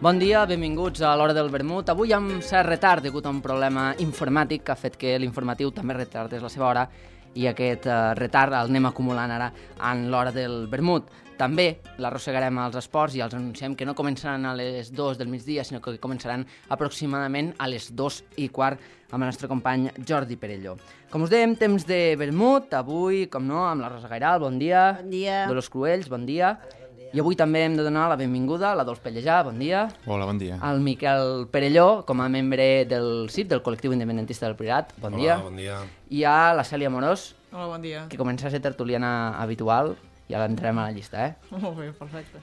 Bon dia, benvinguts a l'Hora del Vermut. Avui amb cert retard degut a un problema informàtic que ha fet que l'informatiu també retardés la seva hora i aquest retard el anem acumulant ara en l'Hora del Vermut. També l'arrossegarem als esports i els anunciem que no començaran a les 2 del migdia, sinó que començaran aproximadament a les 2:15 amb el nostre company Jordi Perelló. Com us dèiem, temps de vermut, avui, com no, amb la Rosa Gairal, bon dia. Bon dia. Dolors Cruells, bon dia. I avui també hem de donar la benvinguda a l'Adolf Pellejà, bon dia. Hola, bon dia. Al Miquel Perelló, com a membre del CIP, del Col·lectiu Independentista del Priorat, bon dia. Hola, bon dia. I a la Cèlia Amorós, Hola, bon dia. que comença a ser tertuliana habitual, i ara entrarem a la llista, eh? Molt bé, perfecte.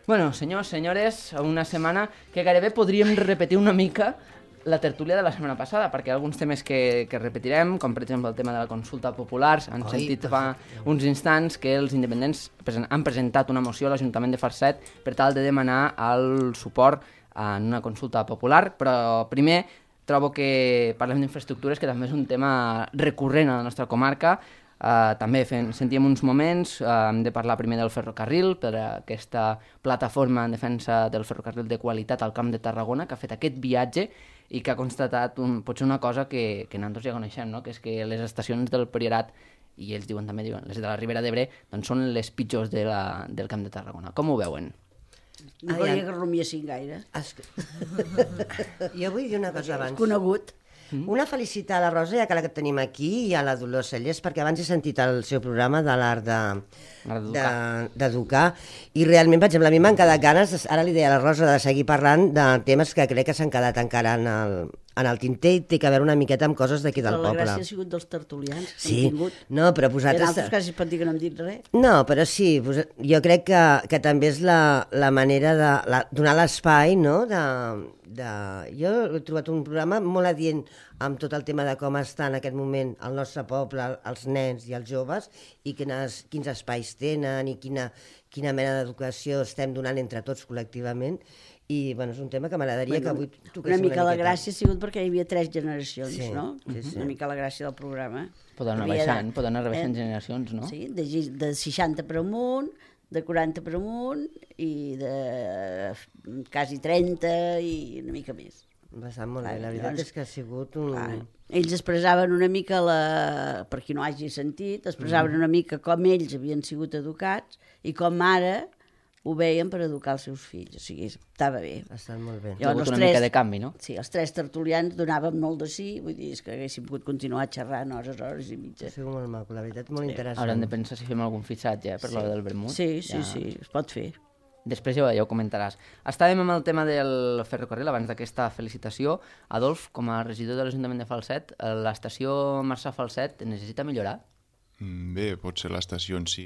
Bueno, senyors, senyores, una setmana que gairebé podríem repetir una mica la tertúlia de la setmana passada, perquè hi ha alguns temes que repetirem, com per exemple el tema de la consulta popular. Han sentit fa uns instants que els independents han presentat una moció a l'Ajuntament de Falset per tal de demanar el suport en una consulta popular, però primer trobo que parlem d'infraestructures, que també és un tema recurrent a la nostra comarca. També sentíem uns moments, hem de parlar primer del ferrocarril, per aquesta plataforma en defensa del ferrocarril de qualitat al Camp de Tarragona, que ha fet aquest viatge i que ha constatat potser una cosa que nosaltres ja coneixem, no? Que és que les estacions del Priorat, i ells diuen també, les de la Ribera d'Ebre, doncs són les pitjors del Camp de Tarragona. Com ho veuen? No volia que rumiessin gaire. Jo vull dir una cosa abans. Conegut. Una felicitar a la Rosa, ja que la que tenim aquí, i a la Dolors Cellers, perquè abans he sentit el seu programa de l'art d'educar, i realment, per exemple, a mi m'han quedat ganes, ara li deia a la Rosa, de seguir parlant de temes que crec que s'han quedat encara en el tinter, i té que veure una miqueta amb coses d'aquí del Però poble. la gràcia ha sigut dels tertulians que Sí, han tingut. no, però I en vosaltres... altres casos pot dir que no hem dit res. No, però sí, jo crec que també és la manera de donar l'espai, no? Jo he trobat un programa molt adient amb tot el tema de com està en aquest moment el nostre poble, els nens i els joves, i quins espais tenen i quina mena d'educació estem donant entre tots col·lectivament. I bueno, és un tema que m'agradaria que avui toquéssim una mica la gràcia ha sigut perquè hi havia 3 generacions, Sí, no? sí. Una mica la gràcia del programa. Poden anar rebaixant generacions, no? Sí, de 60 per amunt, de 40 per amunt i de quasi 30 i una mica més. Va estar molt bé, la veritat és que ha sigut un... Ells expressaven una mica, per qui no hagi sentit, expressaven una mica com ells havien sigut educats i com ara ho veien per educar els seus fills. O sigui, estava bé. Ha estat molt bé. Hi ha hagut una mica de canvi, no? Sí, els 3 tertulians donàvem molt de sí, vull dir, és que haguéssim pogut continuar xerrant hores i mitja. Ha sigut molt maco, la veritat, molt interessant. Haurem de pensar si fem algun fitxatge per l'hora del vermut. Sí, es pot fer. Després ja ho comentaràs. Estàvem amb el tema del ferrocarril abans d'aquesta felicitació. Adolf, com a regidor de l'Ajuntament de Falset, l'estació Marçà-Falset necessita millorar? Bé, potser l'estació en si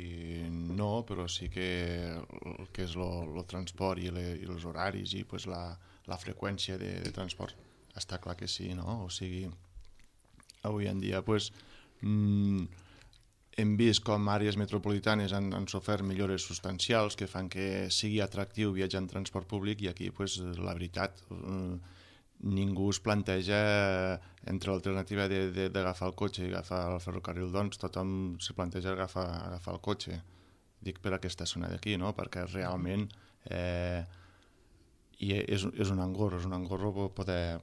no, però sí que el que és el transport i els horaris i pues, la freqüència de transport està clar que sí, no? O sigui, avui en dia pues, hem vist com àrees metropolitanes han sofert millores substancials que fan que sigui atractiu viatjar en transport públic, i aquí pues, la veritat ningú es planteja entre l'alternativa d'agafar el cotxe i agafar el ferrocarril, doncs tothom se planteja agafar el cotxe. Dic per aquesta zona d'aquí, no? Perquè realment és un engorro poder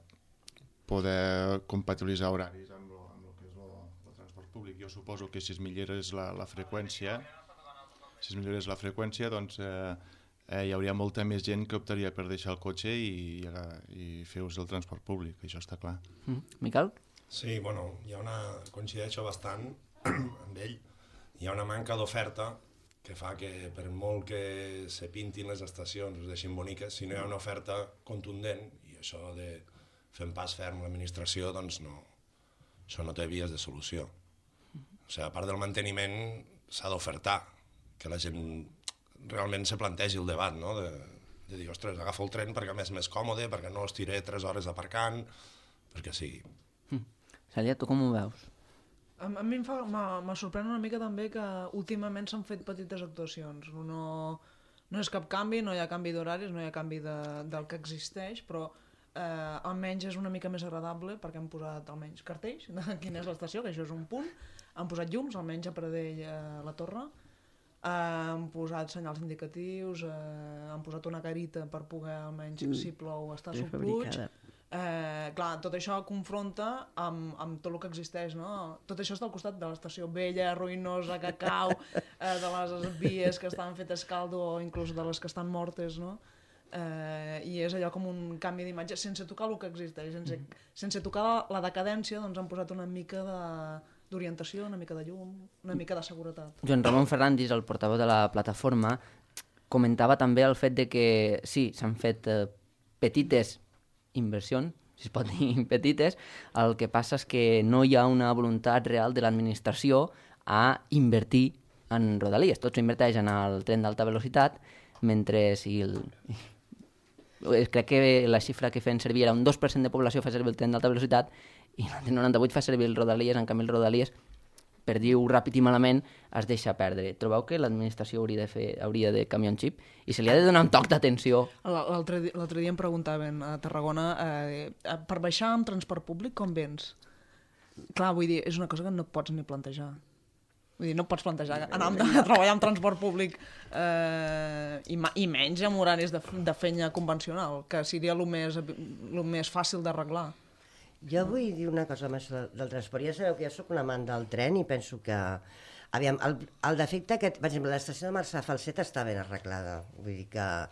compatibilitzar horaris amb el que és el transport públic. Jo suposo que si es millorés la freqüència, doncs hi hauria molta més gent que optaria per deixar el cotxe i fer ús del transport públic, això està clar. Miquel? Sí, bueno, coincideixo bastant amb ell. Hi ha una manca d'oferta que fa que per molt que se pintin les estacions, es deixin boniques, si no hi ha una oferta contundent, i això de fer un pas ferm a l'administració, doncs no, això no té vies de solució. O sigui, a part del manteniment, s'ha d'ofertar, que la gent realment se plantegi el debat, no? De dir, ostres, agafo el tren perquè a més és més còmode, perquè no estiré 3 hores aparcant, perquè sigui. Cèlia, tu com ho veus? A mi me sorprèn una mica també que últimament s'han fet petites actuacions. No és cap canvi, no hi ha canvi d'horaris, no hi ha canvi del que existeix, però almenys és una mica més agradable perquè han posat almenys cartells de quina és l'estació, que això és un punt, han posat llums, almenys a Pradell, a la Torre. han posat senyals indicatius, han posat una carita per poder almenys, si plou, estar subluig. Clar, tot això confronta amb tot el que existeix, no? Tot això està al costat de l'estació vella, ruïnosa, que cau, de les vies que estan fetes caldo o inclús de les que estan mortes, no? I és allò com un canvi d'imatge sense tocar el que existeix, sense tocar la decadència, doncs han posat una mica d'orientació, una mica de llum, una mica de seguretat. Joan Ramon Ferrandis, el portaveu de la plataforma, comentava també el fet de que sí, s'han fet petites inversions, si es pot dir petites, el que passa és que no hi ha una voluntat real de l'administració a invertir en rodalies. Tot s'inverteix en el tren d'alta velocitat, mentre crec que la xifra que feien servir era un 2% de població fa servir el tren d'alta velocitat i el 98% fa servir el rodalies, en canvi el rodalies, per dir-ho ràpid i malament, es deixa perdre. Trobeu que l'administració hauria de canviar un xip i se li ha de donar un toc d'atenció? L'altre dia em preguntaven a Tarragona per baixar amb transport públic com vens? Clar, vull dir, és una cosa que no pots ni plantejar. Vull dir, no pots plantejar anar a treballar amb transport públic i menys amb horaris de feina convencional, que seria el més fàcil d'arreglar. Jo vull dir una cosa més del transport. Ja sabeu que jo soc un amant del tren i penso que... Aviam, el defecte que... Per exemple, l'estació de Marçà Falset està ben arreglada. Vull dir que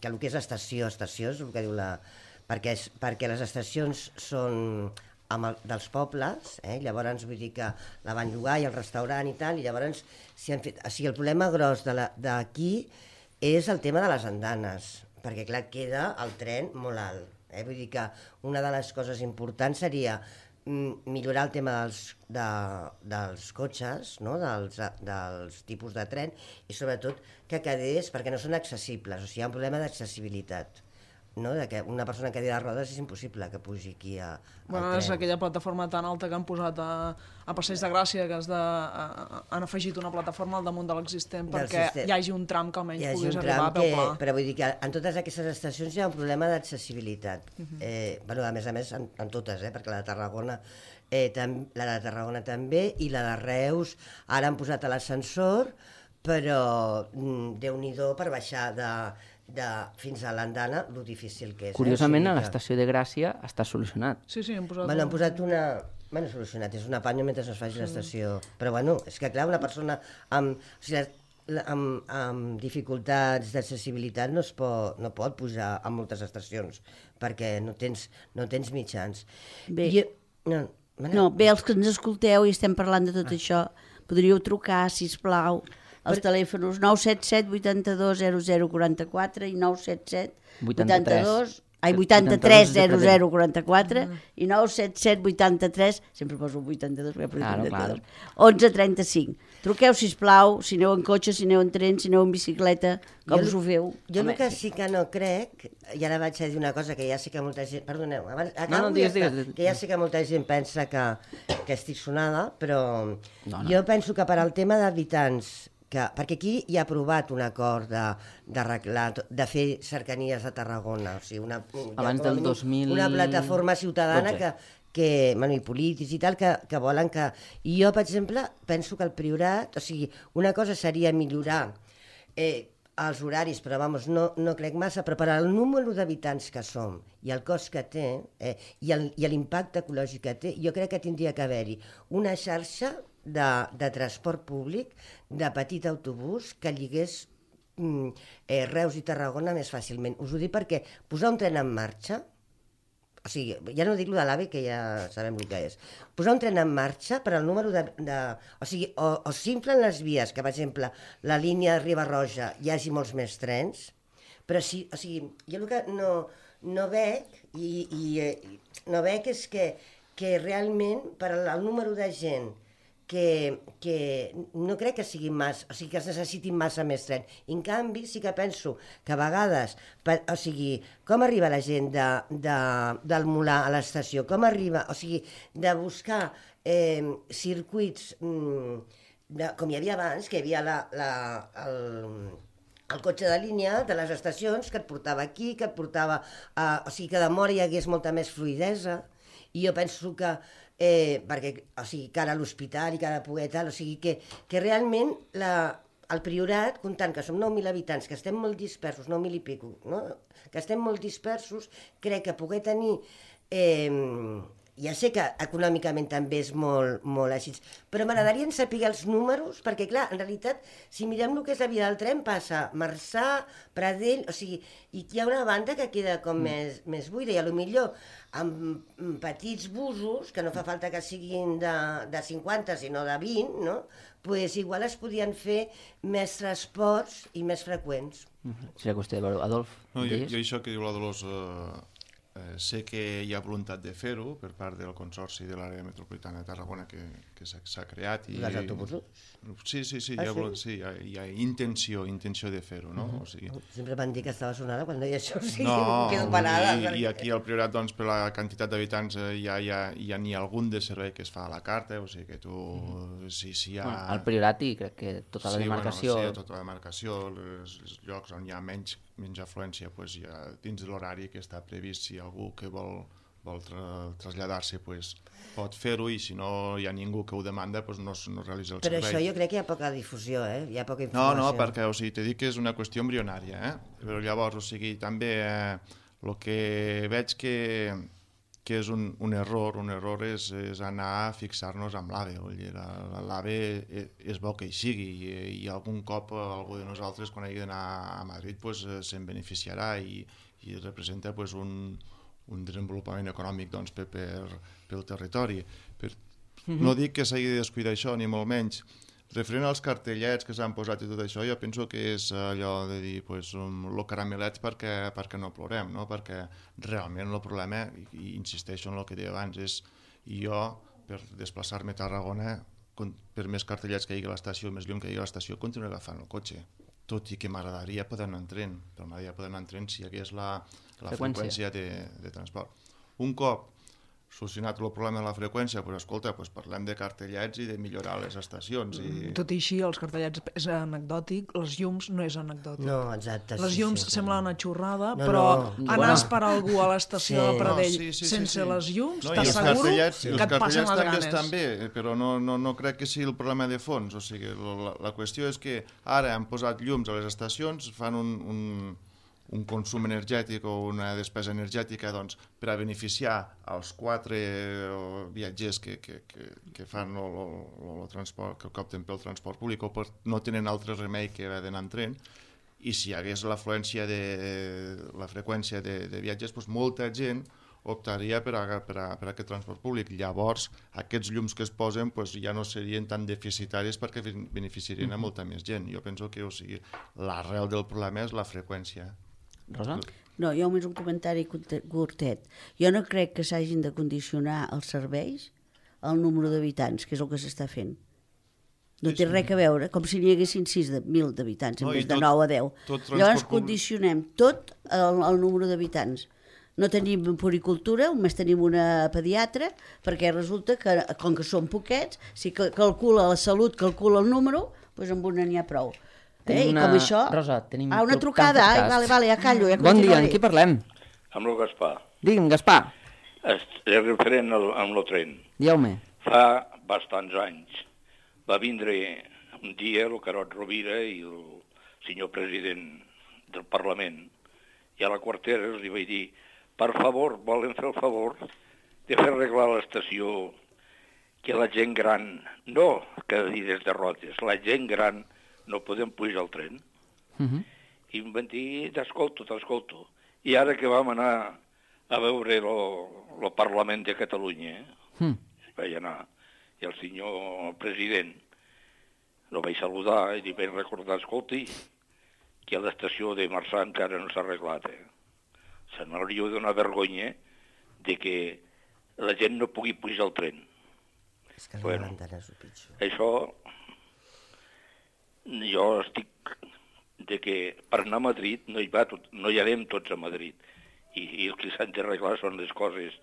el que és estació és el que diu la... Perquè les estacions són dels pobles, llavors vull dir que la van llogar i el restaurant i tal, i llavors el problema gros d'aquí és el tema de les andanes, perquè clar, queda el tren molt alt. Vull dir que una de les coses importants seria millorar el tema dels cotxes, no? dels tipus de tren, i sobretot que quedés, perquè no són accessibles, o sigui, hi ha un problema d'accessibilitat. No? De que una persona que cadira de rodes és impossible que pugi aquí al tren. És aquella plataforma tan alta que han posat a Passeig de Gràcia, que han afegit una plataforma al damunt de l'existent perquè hi hagi un tram que almenys puguis arribar a peu pla. Però vull dir que en totes aquestes estacions hi ha un problema d'accessibilitat. A més, en totes, perquè la de Tarragona també, i la de Reus ara han posat l'ascensor, però Déu-n'hi-do per baixar fins a l'andana, lo difícil que és. Curiosament, a l'estació de Gràcia està solucionat. Sí, han posat... Han posat una... solucionat, és un apanyo mentre es faci l'estació. Però és que clar, una persona amb dificultats d'accessibilitat no pot pujar a moltes estacions, perquè no tens mitjans. Bé, els que ens escolteu i estem parlant de tot això, podríeu trucar, sisplau, els telèfons 977 82 0044 i 977 83 0044 i 977 83, sempre poso 82, 11 35. Truqueu, sisplau, si aneu en cotxe, si aneu en tren, si aneu en bicicleta, com us ho feu. Jo el que sí que no crec, i ara vaig a dir una cosa que ja sé que molta gent... Perdoneu, que ja sé que molta gent pensa que estic sonada, però jo penso que per al tema d'habitants, perquè aquí hi ha aprovat un acord de fer cercanies a Tarragona, o sigui, abans del 2000... una plataforma ciutadana i polítics i tal, que volen que... I jo, per exemple, penso que el Priorat, o sigui, una cosa seria millorar els horaris, però no crec massa, però per al número d'habitants que som i el cost que té i l'impacte ecològic que té, jo crec que tindria que haver-hi una xarxa de transport públic, de petit autobús, que lligués Reus i Tarragona més fàcilment. Us ho dic perquè posar un tren en marxa, o sigui, ja no dic lo de l'AVE, que ja sabem el que és, posar un tren en marxa per al número o sigui, o s'inflen les vies, que per exemple la línia de Riba-roja hi hagi molts més trens, però sí, o sigui, jo el que no veig no veig és que realment per al número de gent que no crec que sigui massa, o sigui, que es necessitin massa més tren. En canvi, sí que penso que a vegades, o sigui, com arriba la gent del Molar a l'estació, com arriba, o sigui, de buscar circuits com hi havia abans, que hi havia el cotxe de línia de les estacions que et portava aquí, que et portava... o sigui, que de Móra hi hagués molta més fluïdesa, i jo penso que perquè, o sigui, cara a l'hospital i cara a poder tal, o sigui que realment el Priorat, comptant que som 9.000 habitants, que estem molt dispersos, 9.000 i pico, no? Que estem molt dispersos, crec que poder tenir... Ja sé que econòmicament també és molt, molt així, però m'agradaria saber els números, perquè clar, en realitat, si mirem el que és la via del tren, passa Marçà, Pradell, o sigui, i hi ha una banda que queda com més buida, i potser amb petits busos, que no fa falta que siguin de 50, sinó de 20, no? Pues igual es podien fer més transports i més freqüents. Seria qüestió de veure. Adolf, jo això que diu la Dolors... sé que hi ha voluntat de fer-ho per part del Consorci de l'Àrea Metropolitana de Tarragona que s'ha creat. I els autobusos? Sí, hi ha intenció de fer-ho, no? O sigui... Sempre van dir que estava sonada quan deia això, sí, no, quedo parada. I aquí al Priorat, doncs, per la quantitat d'habitants ja n'hi ha algun de servei que es fa a la carta, o sigui que tu... Si hi ha... Al Priorat i crec que tota la demarcació... Sí, tota la demarcació, els llocs on hi ha menys afluència, doncs ja dins de l'horari que està previst, si algú que vol traslladar-se pot fer-ho, i si no hi ha ningú que ho demanda no realitza el servei. Però això jo crec que hi ha poca difusió, hi ha poca informació. No, perquè t'he dit que és una qüestió embrionària, però llavors, també el que veig que és un error és anar a fixar-nos amb l'AVE. L'AVE és bo que hi sigui, i algun cop algú de nosaltres, quan hagi d'anar a Madrid, se'n beneficiarà i representa un desenvolupament econòmic pel territori. No dic que s'hagi de descuidar això, ni molt menys. Referent als cartellets que s'han posat i tot això, jo penso que és allò de dir lo caramelets perquè no plorem, no? Perquè realment el problema, i insisteixo en el que deia abans, és jo, per desplaçar-me a Tarragona, per més cartellets que hi hagi a l'estació, més lluny que hi hagi a l'estació, continuo agafant el cotxe. Tot i que m'agradaria poder anar en tren, però m'agradaria poder anar en tren si hi hagués la freqüència de transport. Un cop solucionat el problema de la freqüència, escolta, parlem de cartellets i de millorar les estacions. Tot i així, els cartellets és anecdòtic, les llums no és anecdòtic. No, exacte. Les llums semblen una xorrada, però anar a esperar algú a l'estació de Pradell sense les llums, t'asseguro que et passen les ganes. Estan bé, però no crec que sigui el problema de fons. O sigui, la qüestió és que ara han posat llums a les estacions, fan un consum energètic o una despesa energètica per a beneficiar els 4 viatgers que fan el transport, que opten pel transport públic o no tenen altre remei que haver d'anar en tren, i si hi hagués l'afluència la freqüència de viatgers, molta gent optaria per aquest transport públic. Llavors, aquests llums que es posen ja no serien tan deficitaris perquè beneficiarien a molta més gent. Jo penso que l'arrel del problema és la freqüència. Rosa? No, jo només un comentari curtet. Jo no crec que s'hagin de condicionar els serveis al número d'habitants, que és el que s'està fent. No té res a veure, com si n'hi haguessin 6.000 d'habitants en vez de 9 a 10. Llavors condicionem tot al número d'habitants. No tenim puricultura, només tenim una pediatra, perquè resulta que, com que són poquets, si calcula la salut, calcula el número, doncs amb una n'hi ha prou. I com això... Rosa, tenim... una trucada, vale, ja callo. Bon dia, amb qui parlem? Amb el Gaspar. Digue'm, Gaspar. És referent amb el tren. Dieu-me. Fa bastants anys va vindre un dia el Carot Rovira i el senyor president del Parlament, i a la quartera els vaig dir: per favor, volen fer el favor de fer arreglar l'estació, que la gent gran, no cadires de rodes, la gent gran no podem pujar al tren. I em van dir: t'escolto. I ara que vam anar a veure el Parlament de Catalunya, vaig anar, i el senyor president el vaig saludar i li vaig recordar: escolti, que a l'estació de Marçà encara no s'ha arreglat. Se m'hauria de donar vergonya de que la gent no pugui pujar al tren. És que bueno, això... Jo estic de que per anar a Madrid no hi anem tots a Madrid, i el que s'han d'arreglar són les coses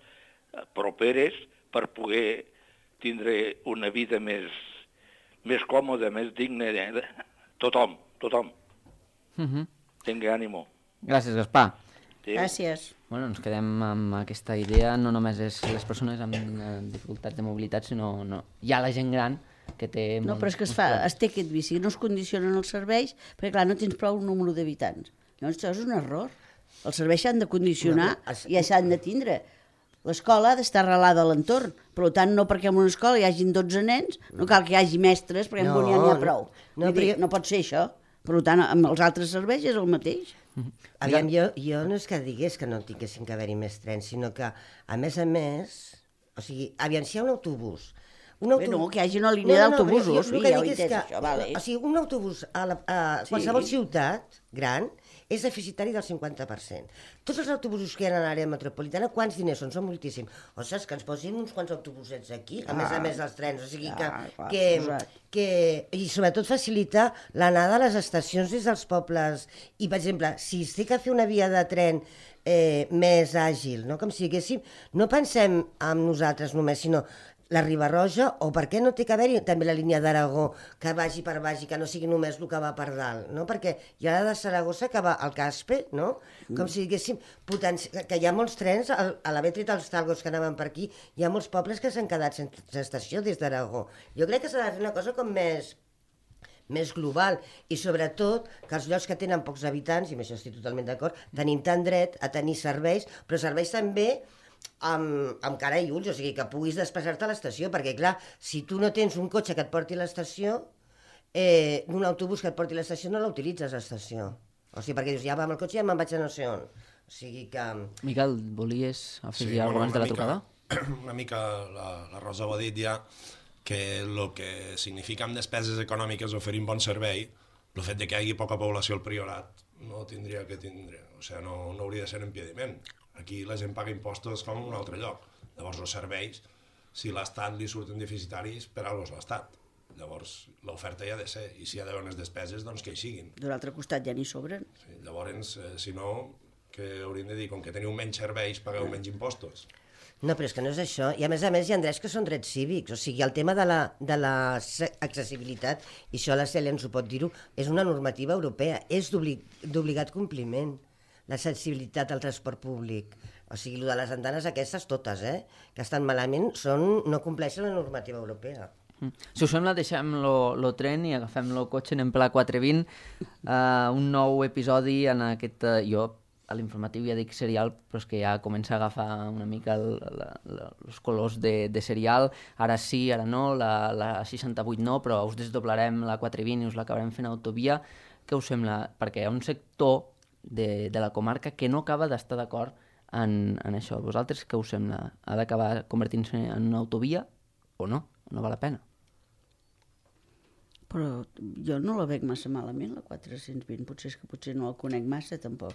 properes per poder tindre una vida més còmoda, més digna. Tothom. Tingui ànimo. Gràcies, Gaspar. Gràcies. Bueno, ens quedem amb aquesta idea, no només és les persones amb dificultats de mobilitat, sinó hi ha la gent gran que té... No, però és que es té aquest vici, no es condicionen els serveis, perquè clar, no tens prou número d'habitants. Llavors això és un error. Els serveis s'han de condicionar i ja s'han de tindre. L'escola ha d'estar arrelada a l'entorn, per tant, no perquè en una escola hi hagin 12 nens, no cal que hi hagi mestres, perquè en un ja n'hi ha prou. No pot ser això. Per tant, amb els altres serveis és el mateix. Aviam, jo no és que digués que no tinguessin que haver-hi més trens, sinó que, a més, o sigui, aviam, si hi ha un autobús... No, que hi hagi una línia d'autobusos. El que dic és que, o sigui, un autobús a qualsevol ciutat gran és deficitari del 50%. Tots els autobusos que hi ha a l'àrea metropolitana, quants diners són? Són moltíssims. O sigui, que ens posin uns quants autobusets aquí, a més dels trens. O sigui i sobretot facilitar l'anada a les estacions des dels pobles. I, per exemple, si es té que fer una via de tren més àgil, no? Com si diguéssim, no pensem en nosaltres només, sinó la Riba-roja, o per què no té que haver-hi també la línia d'Aragó, que vagi per baix i que no sigui només el que va per dalt, no? Perquè hi ha de Saragossa que va al Caspe, no? Com si diguéssim, que hi ha molts trens, a l'haver tret els talgos que anaven per aquí, hi ha molts pobles que s'han quedat sense estació des d'Aragó. Jo crec que s'ha de fer una cosa com més global, i sobretot que els llocs que tenen pocs habitants, i amb això estic totalment d'acord, tenim tant dret a tenir serveis, però serveis també amb cara i ulls, o sigui, que puguis desplaçar-te a l'estació, perquè clar, si tu no tens un cotxe que et porti a l'estació, un autobús que et porti a l'estació no l'utilitzes a l'estació. O sigui, perquè dius, ja va amb el cotxe i ja me'n vaig a no sé on. O sigui que... Miquel, volies afegir alguna cosa abans de la trucada? Una mica la Rosa ho ha dit ja, que el que significa amb despeses econòmiques oferir un bon servei, el fet de que hi hagi poca població al Priorat no tindria que tindre, o sigui, no hauria de ser un impediment. Aquí la gent paga impostos com en un altre lloc. Llavors els serveis, si l'Estat li surten deficitaris, per alguna cosa és l'Estat. Llavors l'oferta hi ha de ser, i si hi ha d'haver unes despeses, doncs que hi siguin. D'un altre costat ja n'hi sobren. Sí, llavors, si no, que hauríem de dir, com que teniu menys serveis, pagueu menys impostos. No, però és que no és això. I a més hi ha drets que són drets cívics. O sigui, el tema de l'accessibilitat, i això la Cèlia ens ho pot dir-ho, és una normativa europea, és d'obligat compliment. L'accessibilitat al transport públic. O sigui, el de les andanes aquestes totes, que estan malament, no compleixen la normativa europea. Si us sembla, deixem lo tren i agafem lo cotxe, anem per la 420, un nou episodi en aquest... Jo a l'informatiu ja dic serial, però és que ja comença a agafar una mica els colors de serial. Ara sí, ara no, la 68 no, però us desdoblarem la 420 i us l'acabarem fent autovia. Què us sembla? Perquè hi ha un sector de la comarca que no acaba d'estar d'acord en això. Vosaltres què us sembla? Ha d'acabar convertint-se en una autovia o no? No val la pena? Però jo no la veig massa malament, la 420. Potser no la conec massa, tampoc.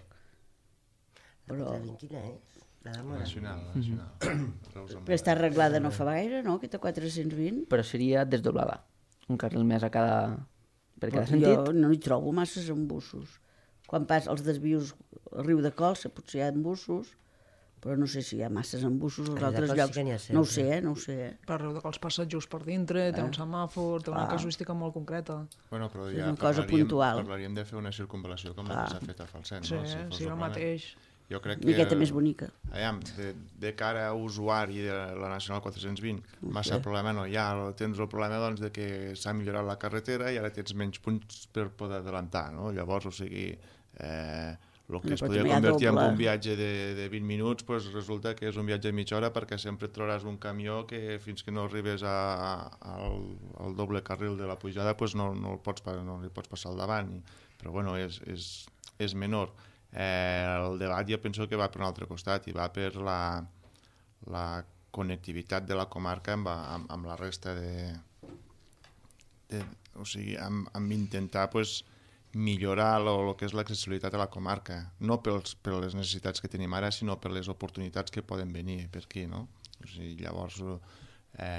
La 420 quina és? La de Nacional. Però està arreglada no fa gaire, no, aquesta 420? Però seria desdoblada. Un carril més a per cada sentit. Jo no hi trobo masses embussos. Quan els desvios al riu de Colsa potser hi ha embussos, però no sé si hi ha masses embussos als altres llocs. No ho sé, no ho sé. Per riu de Cols passa just per dintre, té un semàfor, té una casuística molt concreta. Bueno, però ja una cosa puntual. Parlaríem de fer una circunvalació com la que s'ha fet a Falset. Sí, el mateix. Jo crec que... Miqueta més bonica. De cara a usuari de la Nacional 420, massa problema no hi ha. Tens el problema doncs, de que s'ha millorat la carretera i ara tens menys punts per poder adelantar, no? Llavors, o sigui, el que es podria convertir en un viatge de 20 minuts, pues resulta que és un viatge de mitja hora, perquè sempre et trobaràs un camió que fins que no arribes al doble carril de la pujada pues no li pots passar al davant. Però bueno, és menor. El debat jo penso que va per un altre costat i va per la connectivitat de la comarca amb la resta o sigui, amb intentar pues, millorar el que és l'accessibilitat a la comarca, no per les necessitats que tenim ara, sinó per les oportunitats que poden venir per aquí, no? O sigui, llavors, a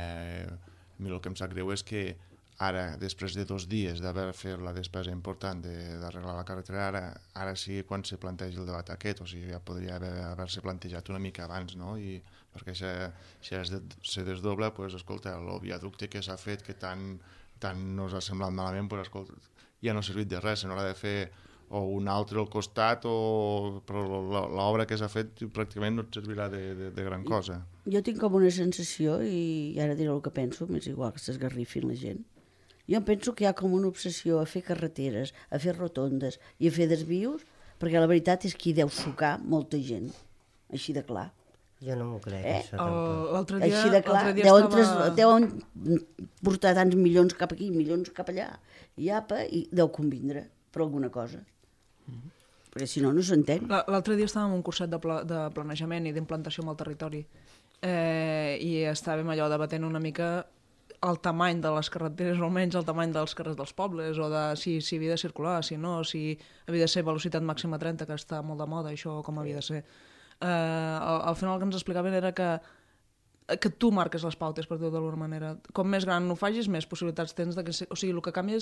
mi el que em sap greu és que ara, després de 2 dies d'haver fet la despesa important d'arreglar la carretera, ara sí quan se planteja el debat aquest, o sigui, ja podria haver-se plantejat una mica abans, no? Perquè si se desdobla, doncs, escolta, el viaducte que s'ha fet, que tant no us ha semblat malament, doncs, escolta, ja no ha servit de res, se n'haurà de fer o un altre al costat, però l'obra que s'ha fet pràcticament no et servirà de gran cosa. Jo tinc com una sensació, i ara diré el que penso, m'és igual que s'esgarrifin la gent. Jo penso que hi ha com una obsessió a fer carreteres, a fer rotondes i a fer desvios, perquè la veritat és que hi deu sucar molta gent, així de clar. Jo no m'ho crec, això tampoc. L'altre dia, Així de clar, deuen portar tants milions cap aquí, milions cap allà, i apa, i deu convindre per alguna cosa. Perquè si no, no s'entén. L'altre dia estàvem en un curset de planejament i d'implantació amb el territori, i estàvem allò debatent una mica el tamany de les carreteres, o almenys el tamany dels carrers dels pobles, o de si havia de circular, si no, si havia de ser velocitat màxima 30, que està molt de moda, això com havia de ser. Al final el que ens explicaven era que tu marques les pautes, per dir-ho d'alguna manera. Com més gran ho facis, més possibilitats tens de que... O sigui, el que canvia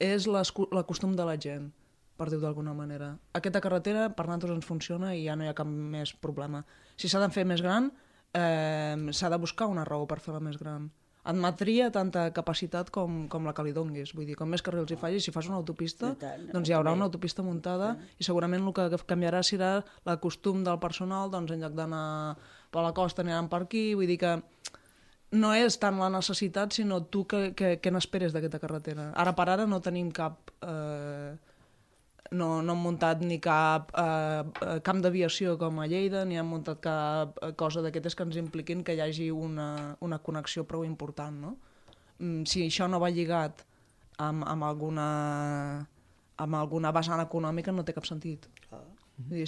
és l'acostum de la gent, per dir-ho d'alguna manera. Aquesta carretera per nosaltres ens funciona i ja no hi ha cap més problema. Si s'ha de fer més gran, s'ha de buscar una raó per fer-la més gran. Admetria tanta capacitat com la que li donguis. Vull dir, com més carrils hi facis, si fas una autopista, doncs hi haurà una autopista muntada i segurament el que canviarà serà l'acostum del personal, doncs en lloc d'anar per la costa aniran per aquí. Vull dir que no és tant la necessitat, sinó tu què n'esperes d'aquesta carretera. Ara per ara no tenim cap... No hem muntat ni cap camp d'aviació com a Lleida, ni hem muntat cap cosa d'aquestes que ens impliquin que hi hagi una connexió prou important, no? Si això no va lligat amb alguna vessant econòmica no té cap sentit.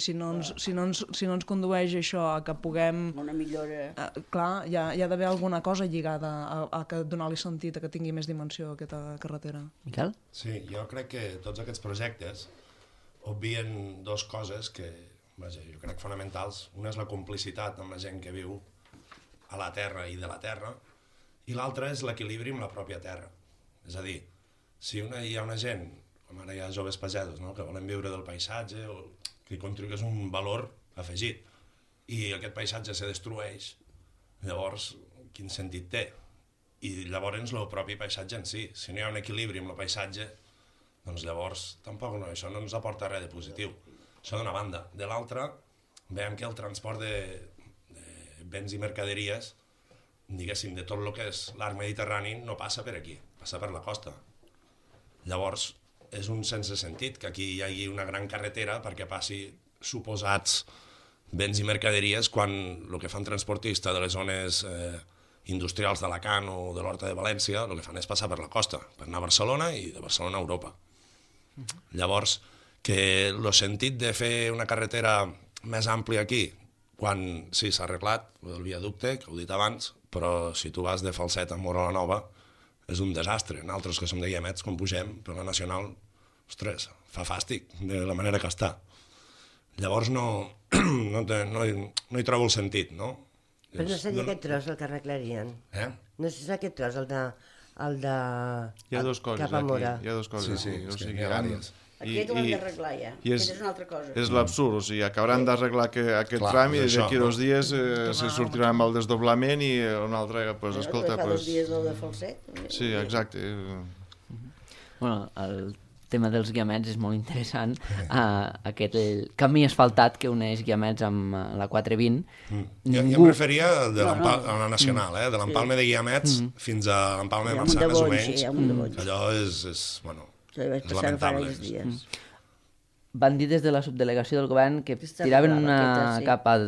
Si no ens condueix això a que puguem... Una millora... Clar, hi ha d'haver alguna cosa lligada a donar-li sentit, a que tingui més dimensió aquesta carretera. Miquel? Sí, jo crec que tots aquests projectes obvien dues coses que, vaja, jo crec fonamentals. Una és la complicitat amb la gent que viu a la terra i de la terra, i l'altra és l'equilibri amb la pròpia terra. És a dir, si hi ha una gent, com ara hi ha joves pagesos, no?, que volen viure del paisatge, o que contribueix un valor afegit, i aquest paisatge se destrueix, llavors quin sentit té? I llavors el propi paisatge en si. Si no hi ha un equilibri amb el paisatge, doncs llavors tampoc això no ens aporta res de positiu. Això d'una banda. De l'altra, veiem que el transport de béns i mercaderies, diguéssim, de tot el que és l'arc mediterrani, no passa per aquí, passa per la costa. Llavors, és un sense sentit que aquí hi hagi una gran carretera perquè passi suposats béns i mercaderies quan el que fan transportista de les zones industrials d'Alacant o de l'Horta de València, el que fan és passar per la costa, per anar a Barcelona i de Barcelona a Europa. Llavors, que el sentit de fer una carretera més àmplia aquí, quan sí, s'ha arreglat el viaducte, que ho he dit abans, però si tu vas de Falset a Móra la Nova, és un desastre. Nosaltres que som de Guiamets, quan pugem per la Nacional, ostres, fa fàstic de la manera que està. Llavors no hi trobo el sentit, no? Però no seria aquest tros el que arreglarien? No és aquest tros, el de... Hi ha dues coses cap a Móra. aquí. Hi ha dues coses. Sí, o sigui, hi ha vàries. Aquest ho hem d'arreglar ja. Aquest és una altra cosa. És l'absurd, o sigui, acabaran d'arreglar aquest tram i d'aquí 2 dies se sortirà amb el desdoblament i un altre, pues, escolta... Fa 2 dies del de Falset. Sí, exacte. Bueno, el tema dels Guiamets és molt interessant. Aquest camí asfaltat que uneix Guiamets amb la 420. Jo em referia a la Nacional, de l'Empalme de Guiamets fins a l'Empalme de Marçà, més o menys. Allò és lamentable. Van dir des de la subdelegació del govern que tiraven una capa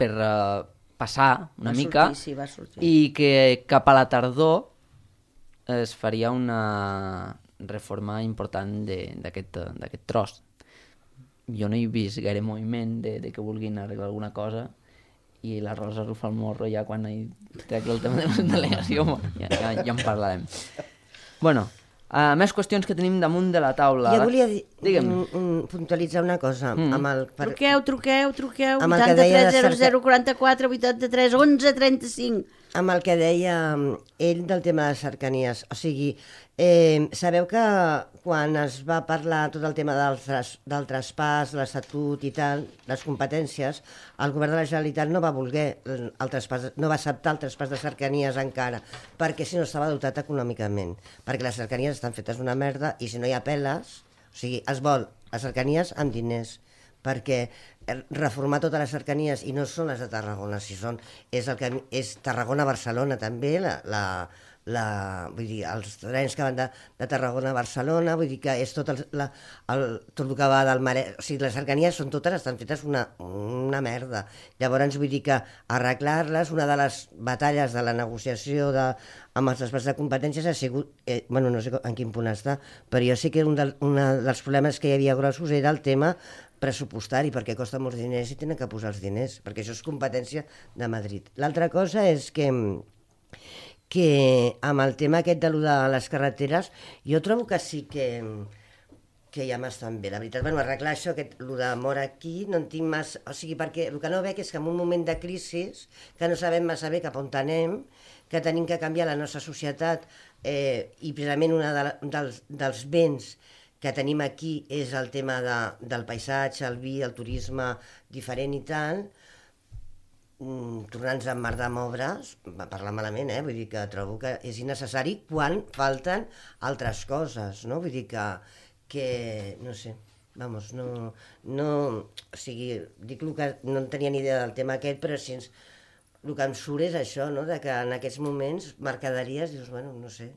per passar una mica i que cap a la tardor es faria una reforma important d'aquest tros. Jo no he vist gaire moviment de que vulguin arreglar alguna cosa i la Rosa rufa el morro ja quan hi tracta el tema de la delegació. Ja en parlarem. Bueno, més qüestions que tenim damunt de la taula. Jo volia puntualitzar una cosa. Truqueu, 83 00 44 83 11 35. Amb el que deia ell del tema de cercanies. O sigui, sabeu que quan es va parlar tot el tema del traspàs, l'estatut i tal, les competències, el govern de la Generalitat no va voler no va acceptar el traspàs de cercanies encara, perquè si no estava dotat econòmicament, perquè les cercanies estan fetes una merda i si no hi ha peles, o sigui, es vol a cercanies amb diners, perquè reformar totes les cercanies, i no són les de Tarragona, és Tarragona-Barcelona també, vull dir, els trens que van de Tarragona a Barcelona, vull dir que és tot tot el que va del Maresme, o sigui, les cercanies són totes, estan fetes una merda. Llavors, vull dir que arreglar-les, una de les batalles de la negociació amb els traspàs de competències ha sigut, bueno, no sé en quin punt està, però jo sé que un dels problemes que hi havia grossos era el tema pressupostari, perquè costa molts diners i tenen que posar els diners, perquè això és competència de Madrid. L'altra cosa és que amb el tema aquest de les carreteres, jo trobo que sí que ja m'estan bé, la veritat. Bueno, arreglar això, el de mort aquí, no en tinc massa... O sigui, perquè el que no veig és que en un moment de crisi, que no sabem massa bé cap on anem, que tenim que canviar la nostra societat, i precisament un dels béns que tenim aquí és el tema del paisatge, el vi, el turisme diferent i tal, tornant-nos a emmerdar amb obres, va parlar malament, vull dir que trobo que és innecessari quan falten altres coses, no? Vull dir que no sé, vamos, no, o sigui, dic que no en tenia ni idea del tema aquest, però si el que em surt és això, no? De que en aquests moments mercaderies, dius, bueno, no sé,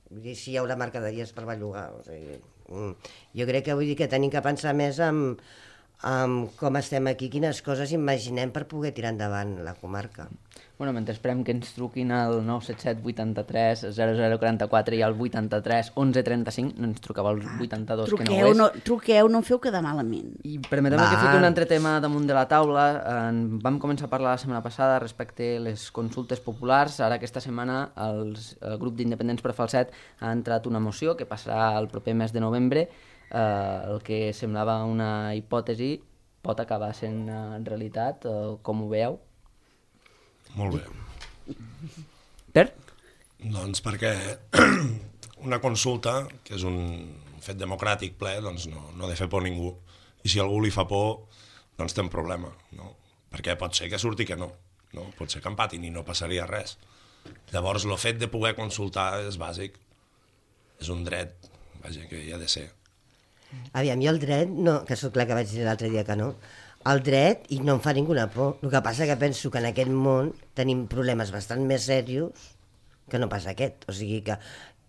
vull dir, si hi haurà mercaderies per bellugar, o sigui, jo crec que vull dir que tenim que pensar més en com estem aquí, quines coses imaginem per poder tirar endavant la comarca. Bueno, mentre esperem que ens truquin al 977 83 0044 i al 83 11 35, no ens truqueu al 82, que no ho és. Truqueu, no em feu quedar malament. I permeteu-me que fiqui un altre tema damunt de la taula. Vam començar a parlar la setmana passada respecte a les consultes populars. Ara aquesta setmana el grup d'Independents per Falset ha entrat una moció que passarà el proper mes de novembre. El que semblava una hipòtesi pot acabar sent realitat, com ho veieu? Molt bé. Per? Doncs perquè una consulta, que és un fet democràtic ple, doncs no ha de fer por a ningú. I si algú li fa por, doncs té un problema, no? Perquè pot ser que surti que no? Pot ser que empatin i no passaria res. Llavors, el fet de poder consultar és bàsic. És un dret, vaja, que hi ha de ser. Aviam, jo el dret, no, que sóc clar que vaig dir l'altre dia que no, el dret, i no em fa ninguna por. El que passa que penso que en aquest món tenim problemes bastant més serios que no pas aquest. O sigui que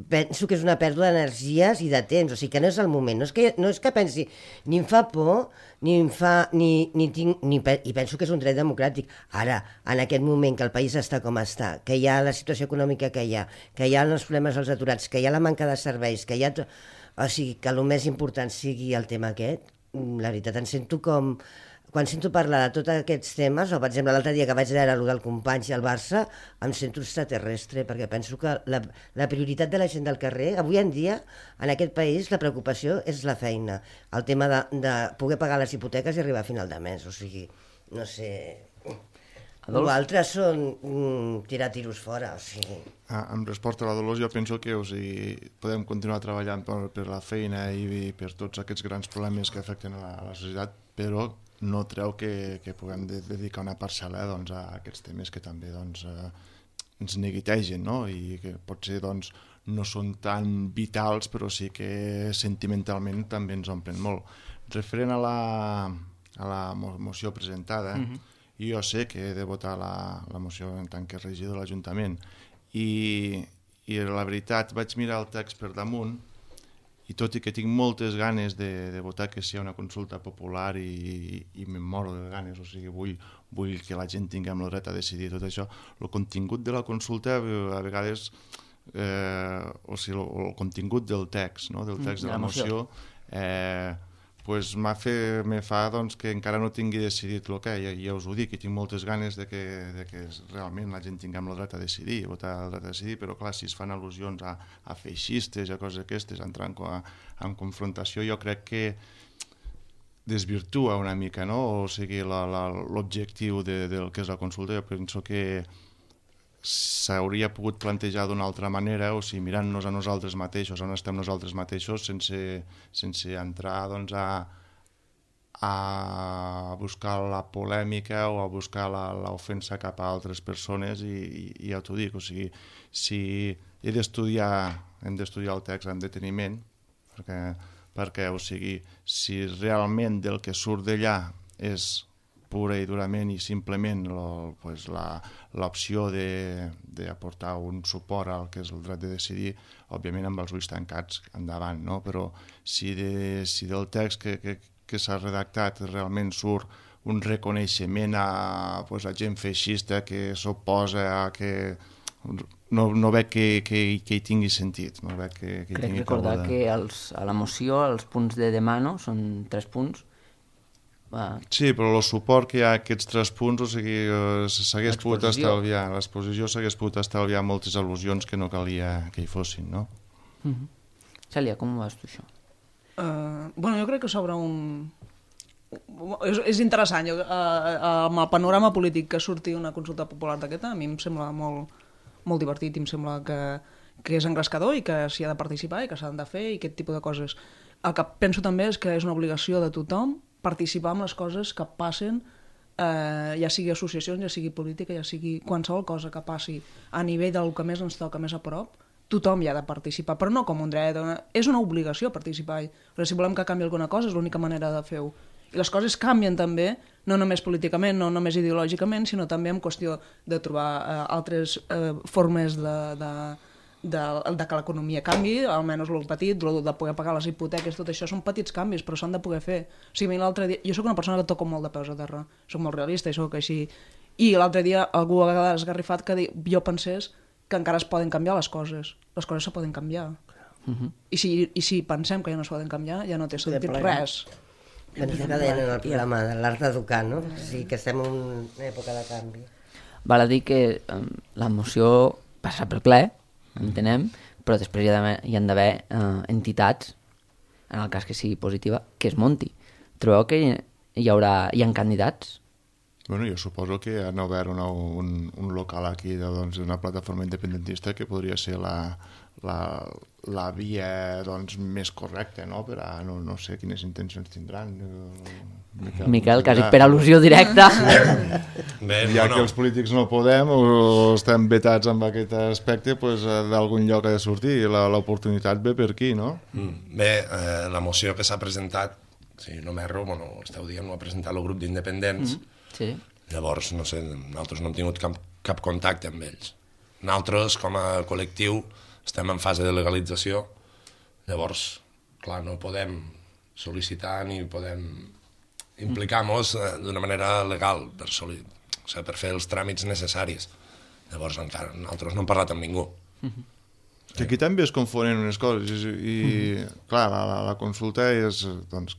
penso que és una pèrdua d'energies i de temps, o sigui que no és el moment. No és que pensi, ni em fa por, i penso que és un dret democràtic. Ara, en aquest moment que el país està com està, que hi ha la situació econòmica que hi ha els problemes als aturats, que hi ha la manca de serveis, que hi ha... O sigui, que el més important sigui el tema aquest, la veritat, em sento com... Quan sento parlar de tots aquests temes, o per exemple l'altre dia que vaig veure el del Companys i el Barça, em sento extraterrestre, perquè penso que la prioritat de la gent del carrer, avui en dia, en aquest país, la preocupació és la feina, el tema de poder pagar les hipoteques i arribar a final de mes, o sigui, no sé... L'altre són tirar tiros fora, o sigui... En resposta a la Dolors, jo penso que podem continuar treballant per la feina i per tots aquests grans problemes que afecten a la societat, però no treu que puguem dedicar una parcel·la a aquests temes que també ens neguitegen, no? I que potser no són tan vitals, però sí que sentimentalment també ens omplen molt. Referent a la moció presentada, jo sé que he de votar la moció en tant que regidor de l'Ajuntament i la veritat vaig mirar el text per damunt i tot i que tinc moltes ganes de votar que sigui una consulta popular i me'n moro de ganes, o sigui, vull que la gent tinguem el dret a decidir tot això, el contingut de la consulta a vegades, o sigui, el contingut del text, no? Del text de la moció, me fa que encara no tingui decidit el que, ja us ho dic, i tinc moltes ganes de que realment la gent tinguem el dret a decidir, votar el dret a decidir, però clar, si es fan al·lusions a feixistes, a coses aquestes, entrar en confrontació, jo crec que desvirtua una mica, no? O sigui, l'objectiu del que és la consulta. Jo penso que s'hauria pogut plantejar d'una altra manera, o sigui, mirant-nos a nosaltres mateixos, on estem nosaltres mateixos, sense entrar a buscar la polèmica o a buscar l'ofensa cap a altres persones, i ja t'ho dic, o sigui, si hem d'estudiar el text amb deteniment, perquè, o sigui, si realment del que surt d'allà és pura i durament i simplement l'opció d'aportar un suport al que és el dret de decidir, òbviament amb els ulls tancats endavant, no? Però si del text que s'ha redactat realment surt un reconeixement a gent feixista que s'oposa a que... No veig que hi tingui sentit. No veig que crec recordar que a la moció els punts de demano són 3 punts. Sí, però el suport que hi ha a aquests 3 punts, o sigui, s'hagués pogut estalviar, l'exposició s'hagués pogut estalviar moltes al·lusions que no calia que hi fossin, no? Cèlia, com ho veus tu, això? Bueno, jo crec que sobre un... És interessant, amb el panorama polític que surti una consulta popular d'aquesta, a mi em sembla molt divertit i em sembla que és engrescador i que s'hi ha de participar i que s'han de fer i aquest tipus de coses. El que penso també és que és una obligació de tothom participar en les coses que passen, ja sigui associacions, ja sigui política, ja sigui qualsevol cosa que passi a nivell del que més ens toca més a prop, tothom hi ha de participar, però no com un dret, és una obligació participar. Però si volem que canvi alguna cosa és l'única manera de fer-ho. I les coses canvien també, no només políticament, no només ideològicament, sinó també en qüestió de trobar altres formes de que l'economia canvi, almenys el petit, de poder pagar les hipoteques, tot això són petits canvis, però s'han de poder fer. O sigui, l'altre dia, jo sóc una persona que toco molt de peus a terra, soc molt realista i soc així, i l'altre dia algú ha esgarrifat que jo pensés que encara es poden canviar les coses se poden canviar. I si pensem que ja no es poden canviar, ja no té sentit res. Penso que deien en el programa de l'art d'educar, no? Sí, que estem en una època de canvi. Val a dir que la moció passa pel ple, entenem, però després hi han d'haver entitats, en el cas que sigui positiva, que es munti. Trobeu que hi ha candidats? Bueno, jo suposo que han obert un local aquí d'una plataforma independentista que podria ser la via més correcta, no? Per a no sé quines intencions tindran. Miquel, quasi per al·lusió directa. Ja que els polítics no podem o estem vetats amb aquest aspecte, d'algun lloc ha de sortir i l'oportunitat ve per aquí, no? Bé, la moció que s'ha presentat, si no m'erro, esteu dient, ho ha presentat el grup d'independents. Sí. Llavors, no sé, nosaltres no hem tingut cap contacte amb ells. Nosaltres, com a col·lectiu, estem en fase de legalització. Llavors, clar, no podem sol·licitar ni podem implicar-nos d'una manera legal per fer els tràmits necessaris. Llavors, encara nosaltres no hem parlat amb ningú. Que aquí també es confonen unes coses i clar, la consulta és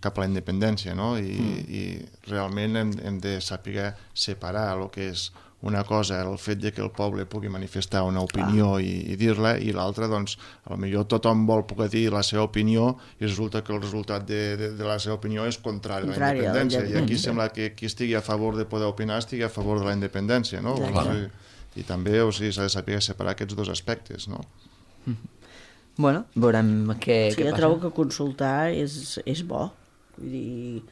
cap a la independència, no? I realment hem de saber separar el que és una cosa, el fet de que el poble pugui manifestar una opinió i dir-la, i l'altra, potser tothom vol poder dir la seva opinió i resulta que el resultat de la seva opinió és contrari a la independència. I aquí sembla que qui estigui a favor de poder opinar estigui a favor de la independència, no? I també s'ha de saber separar aquests dos aspectes, no? Bueno, veurem què passa. Jo trobo que consultar és bo. Vull dir,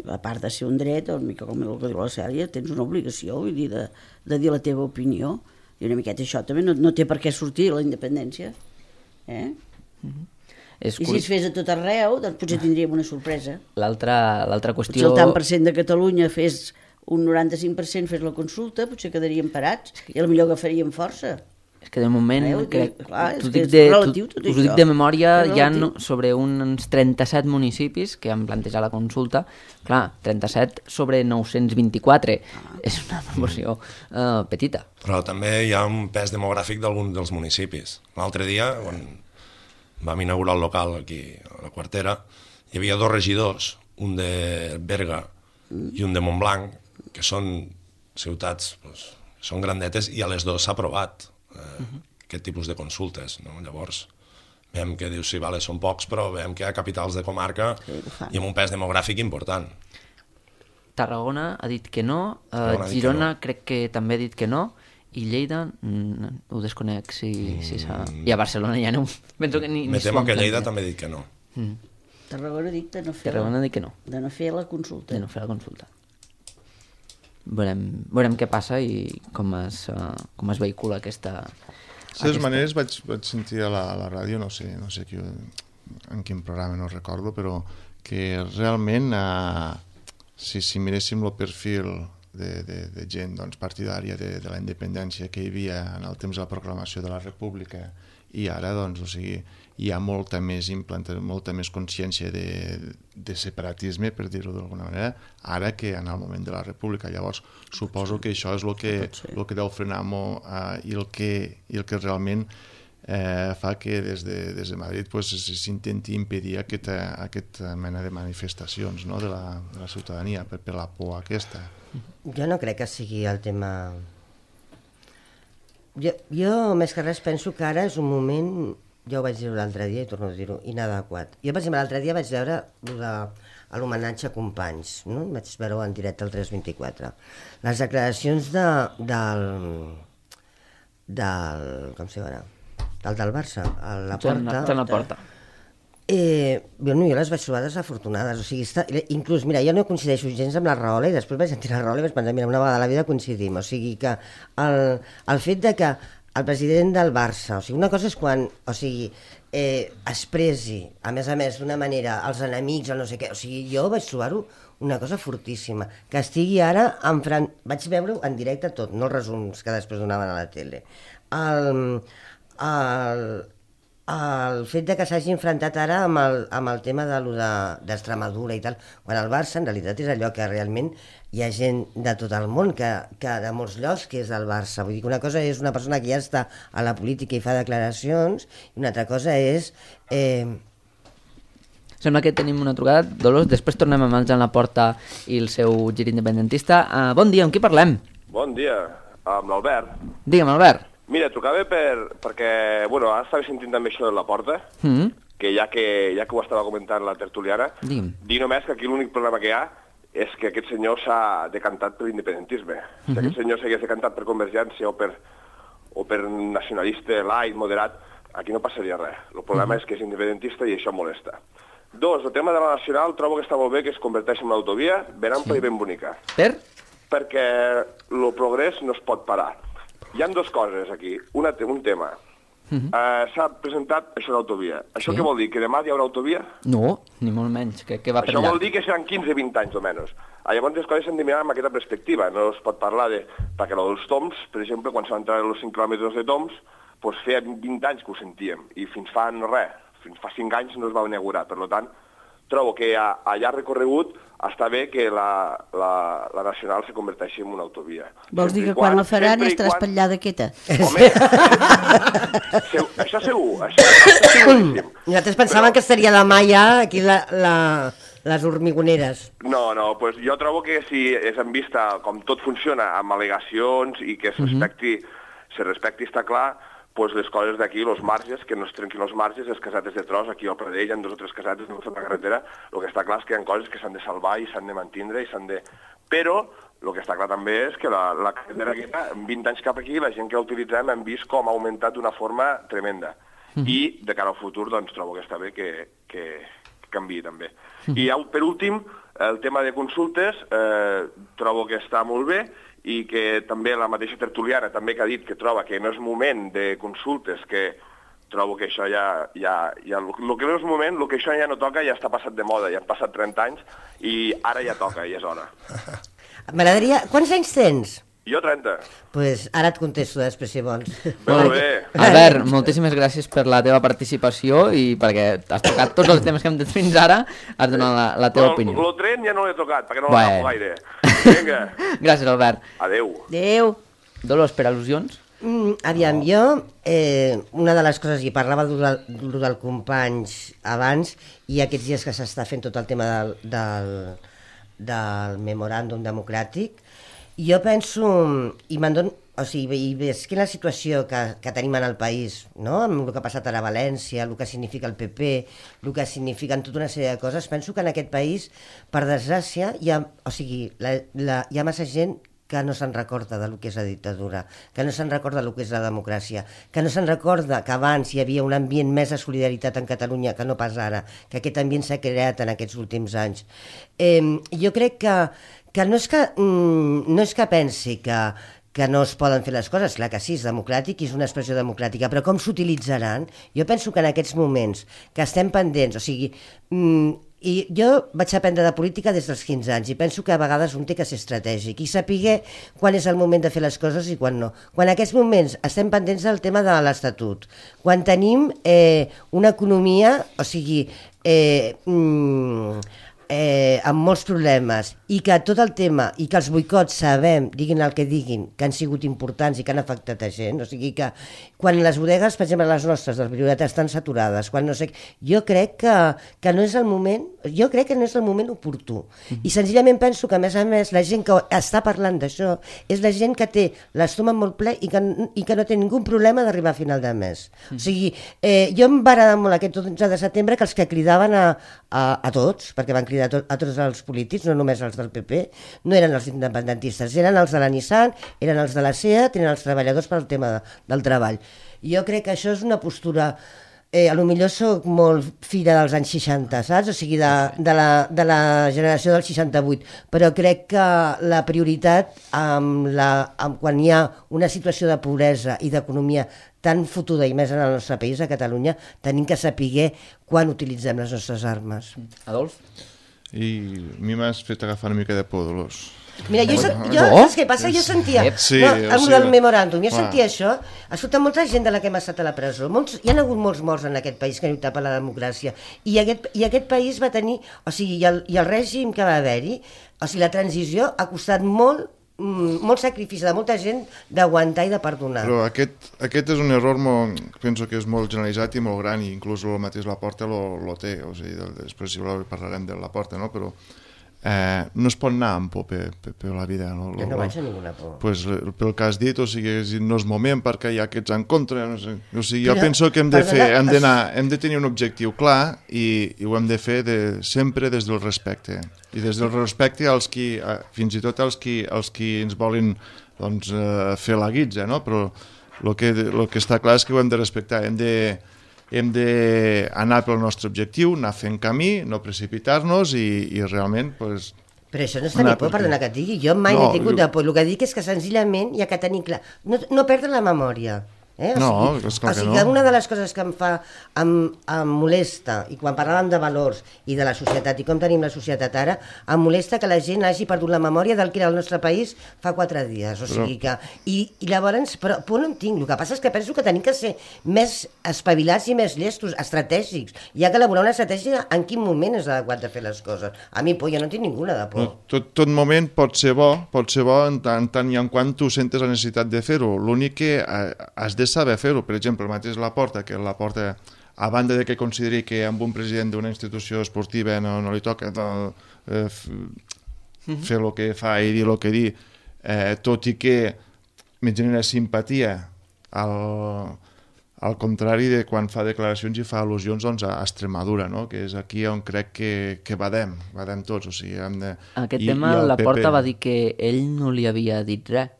a part de ser un dret, una mica com el que diu la Cèlia, tens una obligació, vull dir, de dir la teva opinió. I una miqueta això també no té per què sortir la independència. I si es fes a tot arreu, doncs potser tindríem una sorpresa. L'altra qüestió... Potser el tant per cent de Catalunya fes un 95% fes la consulta, potser quedaríem parats i potser agafaríem força. És que de moment, us dic de memòria, hi ha sobre uns 37 municipis que han plantejat la consulta. Clar, 37 sobre 924 és una proporció petita. Però també hi ha un pes demogràfic d'alguns dels municipis. L'altre dia, quan vam inaugurar el local aquí a la Quartera, hi havia 2 regidors, un de Berga i un de Montblanc, que són ciutats, són grandetes, i a les 2 s'ha aprovat aquest tipus de consultes, no? Llavors veiem que dius, sí, vale, són pocs, però veiem que hi ha capitals de comarca i amb un pes demogràfic important. Tarragona ha dit que no, Girona crec que també ha dit que no, i Lleida ho desconec si s'ha... I a Barcelona ja no... Me temo que Lleida també ha dit que no. Tarragona ha dit de no fer de no fer la consulta. De no fer la consulta. Veurem què passa i com es vehicula aquesta... De totes maneres vaig sentir a la ràdio, no sé qui en quin programa no recordo, però que realment si miréssim el perfil de gent doncs, partidària de la independència que hi havia en el temps de la proclamació de la República i ara doncs, o sigui, hi ha molta més consciència de separatisme, per dir-ho d'alguna manera, ara que en el moment de la República. Llavors, suposo que això és el que deu frenar molt i el que realment fa que des de Madrid s'intenti impedir aquesta mena de manifestacions, no, de la ciutadania per la por aquesta. Jo no crec que sigui el tema... Jo més que res penso que ara és un moment, jo ho vaig dir l'altre dia i torno a dir-ho, inadequat. Jo, per exemple, l'altre dia vaig veure l'homenatge a Companys, no? Vaig veure-ho en directe al 324. Les declaracions del com se diu, del Barça, a la Porta. Jo les vaig trobar desafortunades, o sigui, inclús, mira, jo no coincideixo gens amb la Rahola i després vaig sentir la Rahola i vaig pensar, mira, una vegada a la vida coincidim, o sigui que el fet de que el president del Barça, o sigui, una cosa és quan, o sigui, expressi, a més, d'una manera, els enemics o no sé què, o sigui, jo vaig trobar-ho una cosa fortíssima, que estigui ara vaig veure-ho en directe tot, no els resums que després donaven a la tele. El fet de que s'hagi enfrontat ara amb el tema d'Extremadura i tal, quan el Barça en realitat és allò que realment hi ha gent de tot el món, que de molts llocs que és del Barça. Vull dir que una cosa és una persona que ja està a la política i fa declaracions, i una altra cosa és... Sembla que tenim una trucada. Dolors, després tornem amb el Jan Laporta i el seu gir independentista. Bon dia, amb qui parlem? Bon dia, amb l'Albert. Digue'm, Albert. Mira, trucava perquè, bueno, ara estava sentint també això de la Porta, que ja que ho estava comentant la tertuliana, dir només que aquí l'únic problema que hi ha és que aquest senyor s'ha decantat per l'independentisme. Si aquest senyor s'hagués decantat per Convergència o per nacionalista, light, moderat, aquí no passaria res. El problema és que és independentista i això molesta. Dos, el tema de la nacional trobo que està molt bé que es converteixi en una autovia ben ampla i ben bonica. Per? Perquè el progrés no es pot parar. Hi ha dues coses aquí. Un tema. S'ha presentat això d'autovia. Això què vol dir? Que demà hi haurà autovia? No, ni molt menys. Que va per allà. Això vol allà. dir que seran 15-20 anys, almenys. Llavors les coses s'han de mirar amb aquesta perspectiva. No es pot parlar de... Perquè els toms, per exemple, quan s'han entrat els 5 quilòmetres de toms, doncs feia 20 anys que ho sentíem. I fins fa res. Fins fa 5 anys no es va inaugurar. Per tant, trobo que a llarg recorregut està bé que la nacional se converteixi en una autovia. Vols dir que quan la faran estarà espatllada aquesta? Home, això segur, això seguríssim. Nosaltres pensàvem que estaria demà ja aquí les hormigoneres. No, doncs jo trobo que si és en vista com tot funciona amb al·legacions i que se respecti, està clar, doncs les coses d'aquí, els marges, que no es trenquin els marges, les casetes de tros, aquí al Pradell hi ha 2 o 3 casetes de la carretera, el que està clar és que hi ha coses que s'han de salvar i s'han de mantindre i s'han de... Però el que està clar també és que la carretera aquesta, en 20 anys cap aquí, la gent que la utilitzem hem vist com ha augmentat d'una forma tremenda. I de cara al futur, doncs, trobo que està bé que canviï també. I per últim, el tema de consultes, trobo que està molt bé, i que també la mateixa tertuliana també que ha dit que troba que no és moment de consultes, que trobo que això el que no és moment, el que això ja no toca ja està passat de moda, ja han passat 30 anys i ara ja toca, i és hora. M'agradaria... Quants anys tens? Jo 30. Doncs ara et contesto després, si vols. Molt bé. Albert, moltíssimes gràcies per la teva participació i perquè has tocat tots els temes que hem dit fins ara, has donat la teva opinió. El tren ja no l'he tocat, perquè no l'agafo gaire. Vinga. Gràcies, Albert. Adéu. Adéu. Dolors, per al·lusions? Aviam, jo, una de les coses, i parlava del Companys abans, i aquests dies que s'està fent tot el tema del memoràndum democràtic, jo penso, i veig que la situació que tenim en el país, no? Amb el que ha passat ara a València, el que significa el PP, el que signifiquen tota una sèrie de coses, penso que en aquest país, per desgràcia, hi ha massa gent que no se'n recorda del que és la dictadura, que no se'n recorda del que és la democràcia, que no se'n recorda que abans hi havia un ambient més de solidaritat en Catalunya que no pas ara, que aquest ambient s'ha creat en aquests últims anys. Jo crec que no és que pensi que que no es poden fer les coses, clar que sí, és democràtic i és una expressió democràtica, però com s'utilitzaran? Jo penso que en aquests moments que estem pendents, o sigui, i jo vaig aprendre de política des dels 15 anys i penso que a vegades un té que ser estratègic i saber quan és el moment de fer les coses i quan no. Quan en aquests moments estem pendents del tema de l'Estatut, quan tenim una economia, o sigui, amb molts problemes i que tot el tema i que els boicots sabem, diguin el que diguin, que han sigut importants i que han afectat a gent, o sigui que quan les bodegues, per exemple les nostres del Priorat estan saturades, quan no sé, jo crec que no és el moment, jo crec que no és el moment oportú i senzillament penso que a més la gent que està parlant d'això és la gent que té l'estómac molt ple i que no té ningú problema d'arribar a final de mes. O sigui, jo em va agradar molt aquest 11 de setembre que els que cridaven a tots, perquè van cridar a tots els polítics, no només els del PP, no eren els independentistes, eren els de la Nissan, eren els de la SEAT, eren els treballadors pel tema del treball. Jo crec que això és una postura, a lo millor soc molt filla dels anys 60, saps? O sigui, de la generació del 68, però crec que la prioritat quan hi ha una situació de pobresa i d'economia tan fotuda i més en el nostre país, a Catalunya, tenim que saber quan utilitzem les nostres armes. Adolf? I a mi m'has fet agafar una mica de por, Dolors. Mira, saps què passa? Jo sentia, del memoràndum, jo sentia això, escolta, molta gent de la que hem estat a la presó, hi ha hagut molts morts en aquest país que han lluitat per la democràcia, i aquest país va tenir, o sigui, i el règim que va haver-hi, o sigui, la transició ha costat molt sacrifici de molta gent d'aguantar i de perdonar. Però aquest és un error penso que és molt generalitzat i molt gran, i inclús el mateix Laporta lo té, o sigui, després si voleu parlarem de Laporta, no? Però no es pot anar amb por per la vida. No vaig a ninguna por. Pues, pel que has dit, o sigui, no és moment perquè hi ha aquests en contra, no sé. O sigui, jo penso que hem de tenir un objectiu clar i ho hem de fer sempre des del respecte. I des del respecte fins i tot als qui ens volen fer la guitza, no? Però el que està clar és que ho hem de respectar, hem d'anar pel nostre objectiu, anar fent camí, no precipitar-nos i realment... Pues, però això no és tenir por, perdona que et digui, jo mai n'he tingut de por, el que dic és que senzillament hi ha que tenir clar, no perdre la memòria. No, és clar que no. Una de les coses que em molesta, i quan parlàvem de valors i de la societat i com tenim la societat ara, em molesta que la gent hagi perdut la memòria del que era el nostre país fa 4 dies, o sigui que... I llavors, però por no en tinc, el que passa és que penso que tenim que ser més espavilats i més llestos, estratègics, hi ha que elaborar una estratègia en quin moment és adequat de fer les coses. A mi, jo no tinc ninguna de por. Tot moment pot ser bo en tant i en quant tu sentes la necessitat de fer-ho, l'únic que has de saber fer-ho. Per exemple, el mateix Laporta, a banda de que consideri que amb un president d'una institució esportiva no li toca fer el que fa i dir el que dir, tot i que me genera simpatia al contrari de quan fa declaracions i fa al·lusions a Extremadura, no? Que és aquí on crec que badem tots. O sigui, aquest tema Laporta va dir que ell no li havia dit res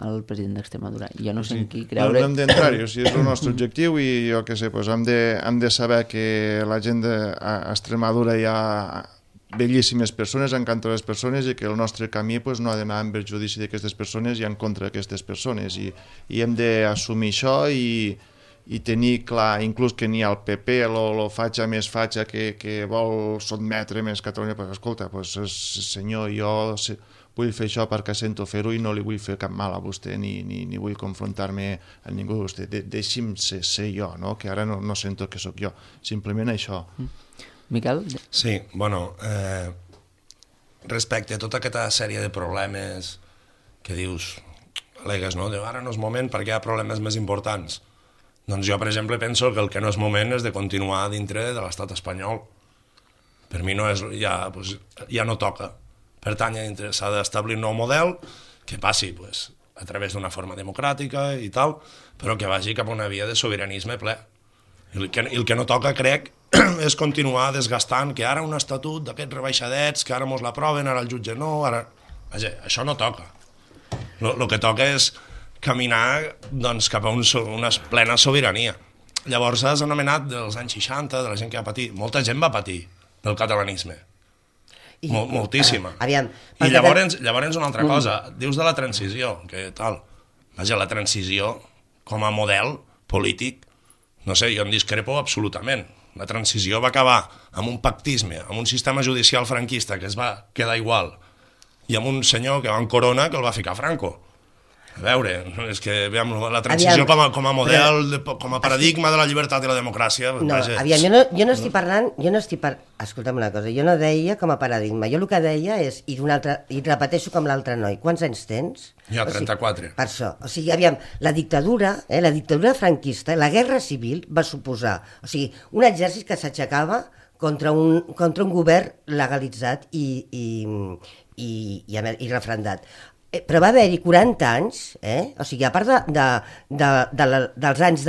al president d'Extremadura. Jo no sé en qui creure... No hem d'entrar-hi, o sigui, és el nostre objectiu i jo què sé, hem de saber que la gent d'Extremadura hi ha bellíssimes persones, encantadores persones, i que el nostre camí no ha d'anar en perjudici d'aquestes persones i en contra d'aquestes persones. I hem d'assumir això i tenir clar, inclús que n'hi ha el PP, el fatxa més fatxa que vol sotmetre més Catalunya, perquè escolta, senyor, jo vull fer això perquè sento fer-ho i no li vull fer cap mal a vostè ni vull confrontar-me amb ningú de vostè. Deixi'm ser jo, no? Que ara no sento que sóc jo. Simplement això. Miquel? Sí, bueno, respecte a tota aquesta sèrie de problemes que dius, al·legues, no? Ara no és moment perquè hi ha problemes més importants. Doncs jo, per exemple, penso que el que no és moment és de continuar dintre de l'estat espanyol. Per mi ja no toca. Per tant, s'ha d'establir un nou model que passi a través d'una forma democràtica i tal, però que vagi cap a una via de sobiranisme ple. I el que no toca, crec, és continuar desgastant que ara un estatut d'aquests rebaixadets, que ara mos l'aproven, ara el jutge no, ara... Vaja, això no toca. El que toca és caminar cap a una plena sobirania. Llavors has anomenat dels anys 60, de la gent que va patir. Molta gent va patir del catalanisme. Moltíssima. I llavors una altra cosa, dius de la transició, que tal, vaja, la transició com a model polític, no sé, jo en discrepo absolutament. La transició va acabar amb un pactisme, amb un sistema judicial franquista que es va quedar igual, i amb un senyor que va en corona que el va ficar Franco. A veure, és que veiem la transició com a model, com a paradigma de la llibertat i la democràcia. No, aviam, jo no estic parlant, escolta'm una cosa, jo no deia com a paradigma, jo el que deia és, i repeteixo com l'altre noi, quants anys tens? Ja, 34. Per això, o sigui, aviam, la dictadura franquista, la guerra civil va suposar, o sigui, un exèrcit que s'aixecava contra un govern legalitzat i refrendat. Però va haver-hi 40 anys, o sigui, a part dels anys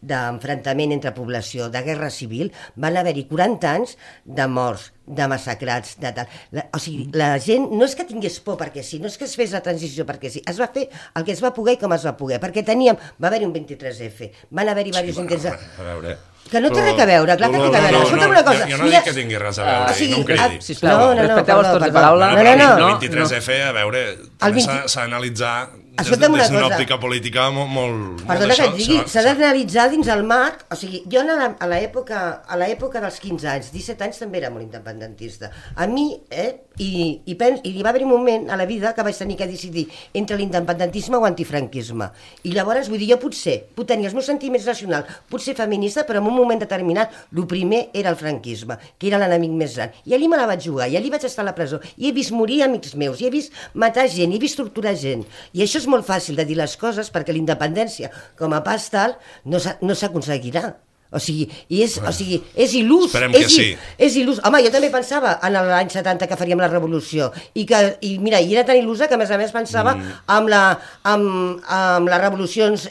d'enfrontament entre població, de guerra civil, van haver-hi 40 anys de morts, de massacrats, de tal. O sigui, la gent no és que tingués por perquè sí, no és que es fes la transició perquè sí, es va fer el que es va poder i com es va poder, perquè va haver-hi un 23F, van haver-hi diversos intents de... A veure... Que no té res a veure, clar que té a veure. Escolta'm una cosa. Jo no dic que tingui res a veure, no em cridi. Sisplau, respecteu els torns de paraula. No. El 23F, a veure, també s'ha d'analitzar des d'una òptica política molt... Perdona que et digui, s'ha d'analitzar dins el marc, o sigui, jo a l'època dels 15 anys, 17 anys també era molt independentista. A mi, i hi va haver un moment a la vida que vaig tenir que decidir entre l'independentisme o antifranquisme. I llavors, vull dir, jo potser puc tenir els meus sentiments nacionals, puc ser feminista, però en un moment determinat, el primer era el franquisme, que era l'enemic més gran. I allí me la vaig jugar, i allí vaig estar a la presó, i he vist morir amics meus, i he vist matar gent, i he vist torturar gent. I això és molt fàcil de dir les coses perquè la independència com a pas tal no s'aconseguirà. O sigui, és il·lús. Esperem que sí. És il·lús. Home, jo també pensava en l'any 70 que faríem la revolució i mira, i era tan il·lusa que a més pensava amb les revolucions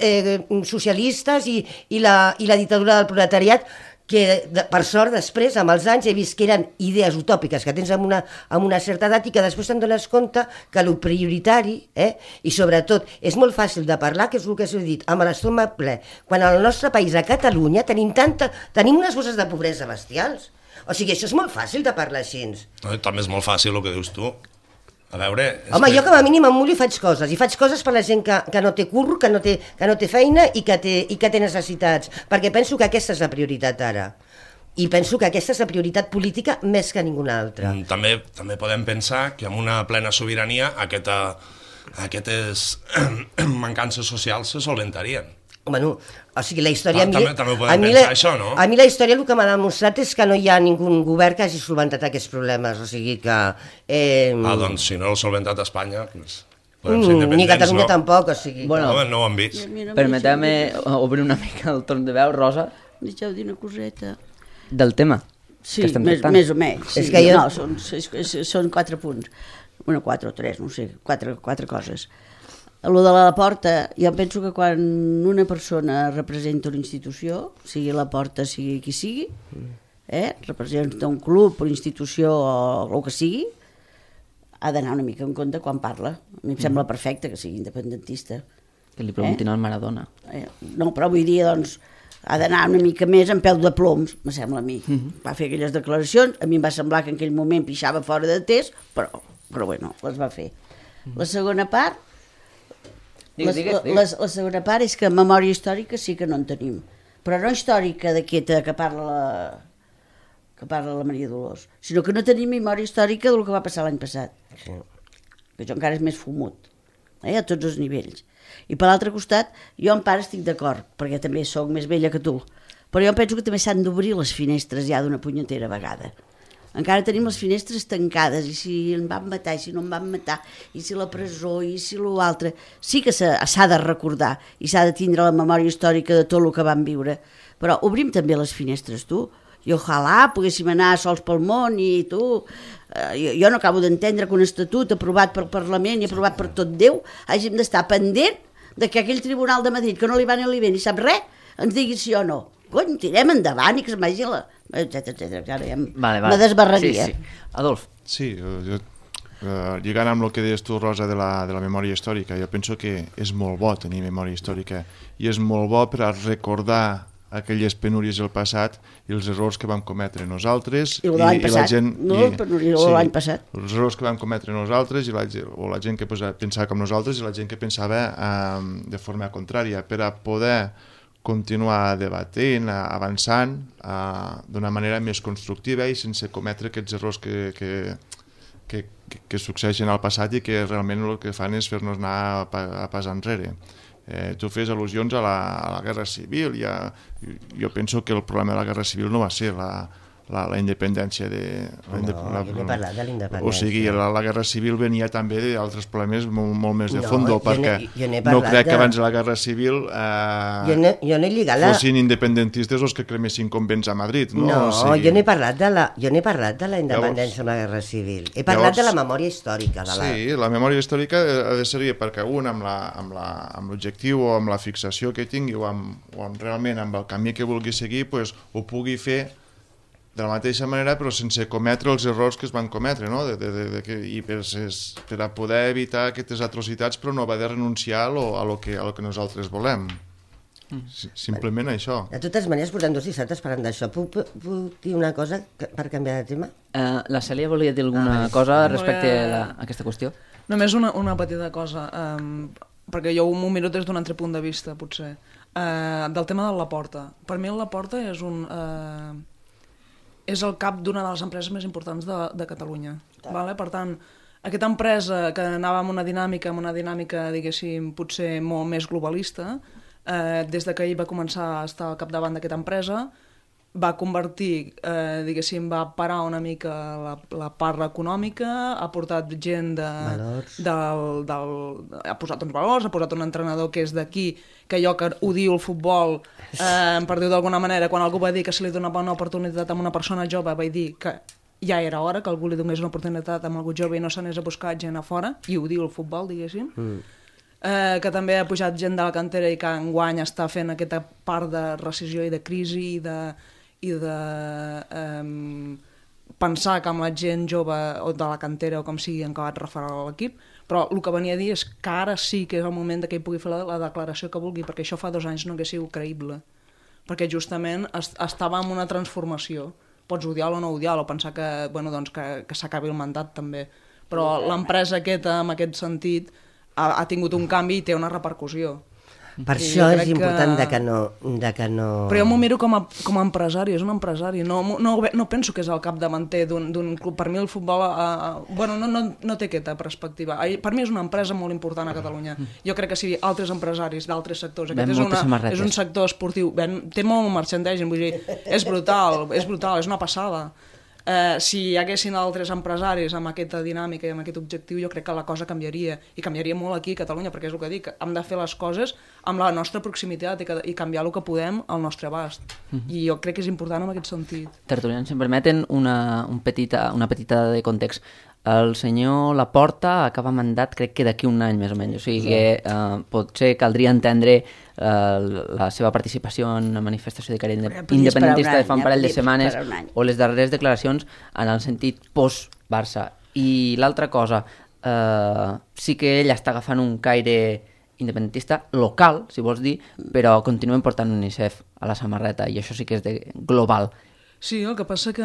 socialistes i la dictadura del proletariat, que per sort després, amb els anys, he vist que eren idees utòpiques que tens amb una certa edat i que després te'n dones compte que el prioritari, i sobretot és molt fàcil de parlar, que és el que s'ho he dit, amb l'estómac ple, quan al nostre país, a Catalunya, tenim unes bosses de pobresa bestials. O sigui, això és molt fàcil de parlar així. També és molt fàcil el que dius tu. A veure... Home, jo com a mínim em mullo i faig coses. I faig coses per la gent que no té curro, que no té feina i que té necessitats. Perquè penso que aquesta és la prioritat ara. I penso que aquesta és la prioritat política més que ninguna altra. També podem pensar que amb una plena sobirania aquestes mancances socials se solventarien. Bueno, o sigui, la història... També ho podem pensar, això, no? A mi la història el que m'ha demostrat és que no hi ha ningú govern que hagi solventat aquests problemes, o sigui que... doncs si no l'ha solventat a Espanya, doncs... Ni Catalunya tampoc, o sigui... Bueno, no ho han vist. Permeteu-me obrir una mica el torn de veu, Rosa. Deixeu dir una coseta. Del tema que estem tractant. Més o menys. Sí. No, són 4 punts. Bueno, 4 o 3, no sé, 4 coses. Lo de la Porta, jo penso que quan una persona representa una institució, sigui la Porta, sigui qui sigui, representa un club, una institució o el que sigui, ha d'anar una mica en compte quan parla. A mi em sembla perfecte que sigui independentista. Que li preguntin al Maradona. No, però vull dir, doncs, ha d'anar una mica més en peu de ploms, me sembla a mi. Va fer aquelles declaracions, a mi em va semblar que en aquell moment pixava fora de test, però bueno, les va fer. La segona part... La segona part és que memòria històrica sí que no en tenim, però no històrica d'aquesta que parla la Maria Dolors, sinó que no tenim memòria històrica del que va passar l'any passat, que això encara és més fumut, a tots els nivells. I per l'altre costat, jo en part estic d'acord, perquè també sóc més vella que tu, però jo penso que també s'han d'obrir les finestres ja d'una punyetera vegada. Encara tenim les finestres tancades, i si en van matar, i si no en van matar, i si la presó, i si l'altre... Sí que s'ha de recordar, i s'ha de tindre la memòria històrica de tot el que vam viure, però obrim també les finestres, tu, i ojalà poguéssim anar sols pel món, i tu... Jo no acabo d'entendre que un estatut aprovat pel Parlament i aprovat per tot Déu hàgim d'estar pendent de que aquell tribunal de Madrid, que no li va ni li ve ni sap res, ens digui sí o no. Cony, tirem endavant i que es vagi la... etcètera. Ara ja me desbarraria. Sí. Adolf. Sí, jo, lligant amb el que deies tu, Rosa, de la memòria històrica, jo penso que és molt bo tenir memòria històrica i és molt bo per a recordar aquelles penúries del passat i els errors que vam cometre nosaltres i l'any passat, la gent, l'any passat. Els errors que vam cometre nosaltres o la gent que pensava com nosaltres i la gent que pensava de forma contrària, per a poder continuar debatent, avançant d'una manera més constructiva i sense cometre aquests errors que succeeixen al passat i que realment el que fan és fer-nos anar a pas enrere. Tu fes al·lusions a la Guerra Civil. Jo penso que el problema de la Guerra Civil no va ser la independència de... jo n'he parlat de l'independència. O sigui, la Guerra Civil venia també d'altres problemes molt més de fondo, perquè no crec que abans de la Guerra Civil fossin independentistes els que cremessin convents a Madrid. No, jo n'he parlat de la independència amb la Guerra Civil. He parlat de la memòria històrica. Sí, la memòria històrica ha de servir perquè un amb l'objectiu o amb la fixació que tingui o realment amb el camí que vulgui seguir ho pugui fer de la mateixa manera però sense cometre els errors que es van cometre, no? I per a poder evitar aquestes atrocitats però no haver de renunciar a lo que nosaltres volem. Simplement això. De totes maneres, portem 2 dissabtes parlant d'això. Puc dir una cosa per canviar de tema? La Cèlia volia dir alguna cosa respecte a aquesta qüestió? Només una petita cosa, perquè jo m'ho miro des d'un altre punt de vista, potser. Del tema de Laporta. Per mi el Laporta és el cap d'una de les empreses més importants de Catalunya. Vale? Per tant, aquesta empresa que anava amb una dinàmica, diguéssim, potser molt més globalista, des que ell va començar a estar al capdavant d'aquesta empresa, va convertir, diguéssim, va parar una mica la part econòmica, ha portat gent ha posat uns valors, ha posat un entrenador que és d'aquí, que jo que odio el futbol, per dir-ho d'alguna manera, quan algú va dir que se li donava una oportunitat a una persona jove, vaig dir que ja era hora que algú li donés una oportunitat a algú jove i no s'anés a buscar gent a fora, i odio el futbol, diguéssim. Que també ha pujat gent de la cantera i que enguany està fent aquesta part de rescissió i de crisi i de pensar que amb la gent jove o de la cantera o com sigui han acabat referar a l'equip, però el que venia a dir és que ara sí que és el moment que ell pugui fer la declaració que vulgui, perquè això fa 2 anys no hagués sigut creïble, perquè justament estava en una transformació. Pots odiar-lo o no odiar-lo, o pensar que s'acabi el mandat també, però l'empresa aquesta, en aquest sentit, ha tingut un canvi i té una repercussió. Per això és important que no... Però jo m'ho miro com a empresari, és un empresari. No penso que és el capdavanter d'un club. Per mi el futbol no té aquesta perspectiva. Per mi és una empresa molt important a Catalunya. Jo crec que si altres empresaris d'altres sectors... Aquest és un sector esportiu. Té molt merchandising, vull dir, és brutal, és una passada. Si hi haguessin altres empresaris amb aquesta dinàmica i amb aquest objectiu, jo crec que la cosa canviaria, i canviaria molt aquí a Catalunya, perquè és el que dic, hem de fer les coses amb la nostra proximitat i canviar el que podem al nostre abast, i jo crec que és important en aquest sentit. Tertulians, si em permeten una petita de context. El senyor Laporta acaba mandat crec que d'aquí un any més o menys, o sigui que potser caldria entendre la seva participació en una manifestació de caire independentista de fa un parell de setmanes o les darreres declaracions en el sentit post-Barça. I l'altra cosa, sí que ell està agafant un caire independentista local, si vols dir, però continuen portant UNICEF a la samarreta i això sí que és de global. Sí, el que passa que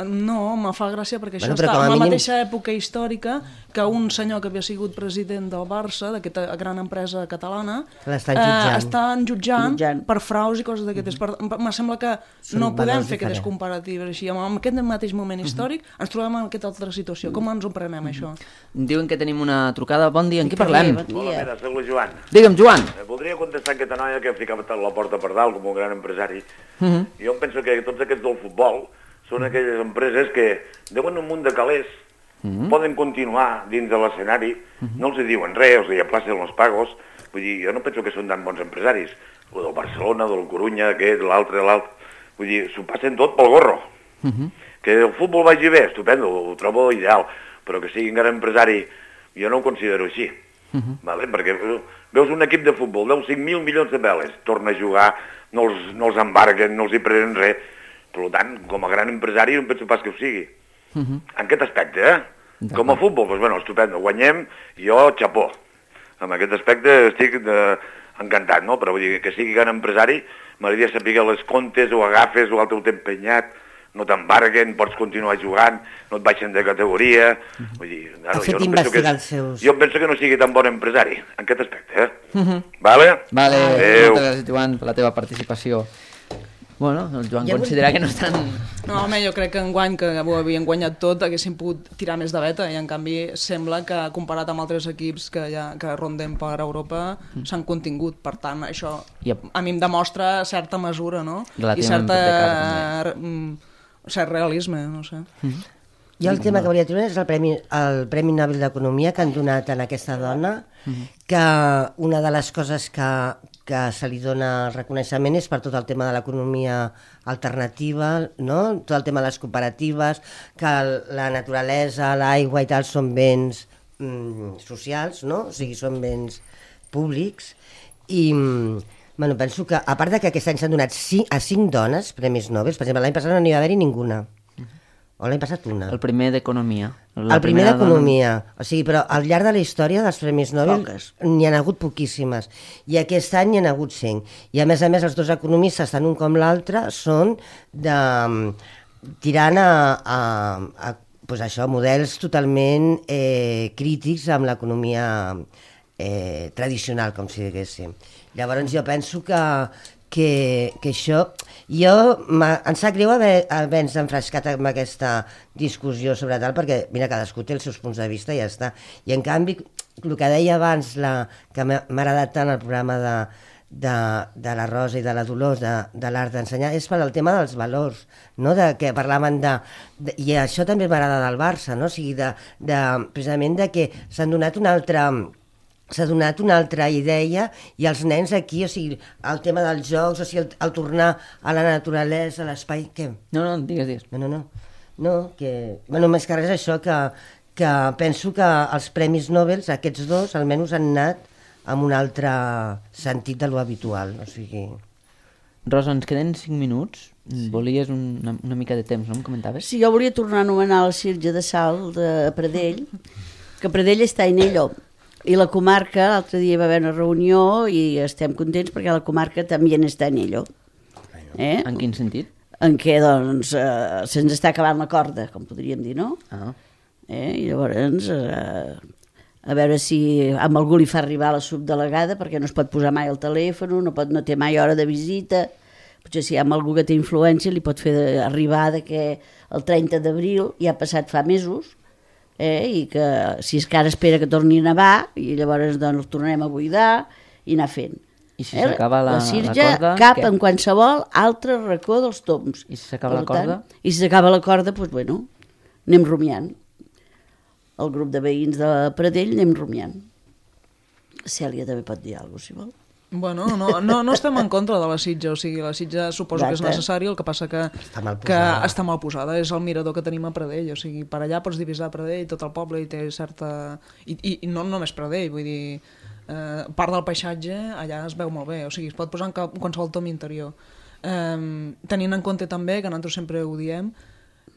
no, me fa gràcia perquè això està en la mateixa època històrica que un senyor que havia sigut president del Barça, d'aquesta gran empresa catalana, estan jutjant per fraus i coses d'aquestes. Me sembla que no podem fer aquestes comparatives així. En aquest mateix moment històric ens trobem en aquesta altra situació. Com ens ho prenem, això? Diuen que tenim una trucada. Bon dia, en qui parlem? Hola, mira, soc el Joan. Digue'm, Joan. Voldria contestar aquesta noia que ha ficat la porta per dalt com un gran empresari. Jo penso que tots aquests del futbol són aquelles empreses que deuen un munt de calés, poden continuar dins de l'escenari, no els diuen res, els aplacen els pagos. Vull dir, jo no penso que són tan bons empresaris. O del Barcelona, del Corunya, aquest, l'altre. Vull dir, s'ho passen tot pel gorro. Que el futbol vagi bé, estupendo, ho trobo ideal, però que sigui encara empresari, jo no ho considero així. Perquè veus un equip de futbol, deu 5.000 milions de peles, torna a jugar, no els embarguen, no els hi prenen res. Per tant, com a gran empresari no penso pas que ho sigui. En aquest aspecte, com a futbol, doncs bueno, estupendo, guanyem, jo xapó. En aquest aspecte estic encantat, no? Però vull dir que sigui gran empresari, m'agradaria saber les comptes, o agafes, o altre ho té empenyat, no t'embarguen, pots continuar jugant, no et baixen de categoria... Vull dir, ha fet investigar els seus... Jo penso que no sigui tan bon empresari, en aquest aspecte, Vale? Vale, moltes gràcies, Joan, per la teva participació. Bueno, el Joan considera que no estan... No, home, jo crec que enguany, que ho havien guanyat tot, haguessin pogut tirar més de veta, i en canvi sembla que, comparat amb altres equips que ronden per Europa, s'han contingut. Per tant, això a mi em demostra certa mesura, no? I cert realisme, no sé. Jo el tema que volia treure és el Premi Nobel d'Economia que han donat a aquesta dona, que una de les coses que se li dona reconeixement és per tot el tema de l'economia alternativa, no? Tot el tema de les cooperatives, que la naturalesa, l'aigua i tal són béns socials, no? O sigui, són béns públics. I bueno, penso que, a part de que aquest any s'han donat a 5 dones premis Nobel, per exemple, l'any passat no n'hi va haver-hi ninguna. O l'any passat una. El primer d'Economia. El primer d'Economia. O sigui, però al llarg de la història dels Premis Nobel n'hi ha hagut poquíssimes. I aquest any n'hi ha hagut 5. I a més, els dos economistes, tant un com l'altre, són tirant a pues això, models totalment crítics amb l'economia tradicional, com si diguéssim. Llavors jo penso que això... em sap greu haver-nos enfrescat amb aquesta discussió sobre tal, perquè, mira, cadascú té els seus punts de vista i ja està. I, en canvi, el que deia abans, que m'ha agradat tant el programa de la Rosa i de la Dolors, de l'art d'ensenyar, és per al tema dels valors, no? Que parlaven i això també m'agrada del Barça, no? O sigui, precisament que s'ha donat una altra idea i els nens aquí, o sigui, el tema dels jocs, o sigui, el tornar a la naturalesa, a l'espai... Què? No, digues. No, que... Bueno, més que res això, que penso que els Premis Nobel, aquests dos, almenys han anat amb un altre sentit de lo habitual, o sigui... Rosa, ens queden 5 minuts. Volies una mica de temps, no em comentaves? Sí, jo volia tornar a anomenar la Sirge de Sal de Pradell, que Pradell està en ell, i la comarca, l'altre dia va haver una reunió i estem contents perquè la comarca també està en ello. En quin sentit? En què, doncs, se'ns està acabant la corda, com podríem dir, no? I llavors, a veure si amb algú li fa arribar la subdelegada, perquè no es pot posar mai al telèfon, no té mai hora de visita, potser si hi ha algú que té influència li pot fer arribar que el 30 d'abril ja ha passat fa mesos, i que si és que ara espera que torni a nevar i llavors doncs el tornarem a buidar i anar fent. I si s'acaba la Sirge corda... cap en qualsevol altre racó dels tombs. I si s'acaba la corda? I si s'acaba la corda, doncs bueno, anem rumiant. El grup de veïns de Pradell anem rumiant. Cèlia també pot dir alguna cosa, si vol. Bueno, no estem en contra de la Sitja, o sigui, la Sitja suposo que és necessari, el que passa que està mal posada, és el mirador que tenim a Pradell, o sigui, per allà pots divisar Pradell, tot el poble, i té certa... I no només Pradell, vull dir, part del paisatge allà es veu molt bé, o sigui, es pot posar en qualsevol tom interior. Tenint en compte també, que nosaltres sempre ho diem,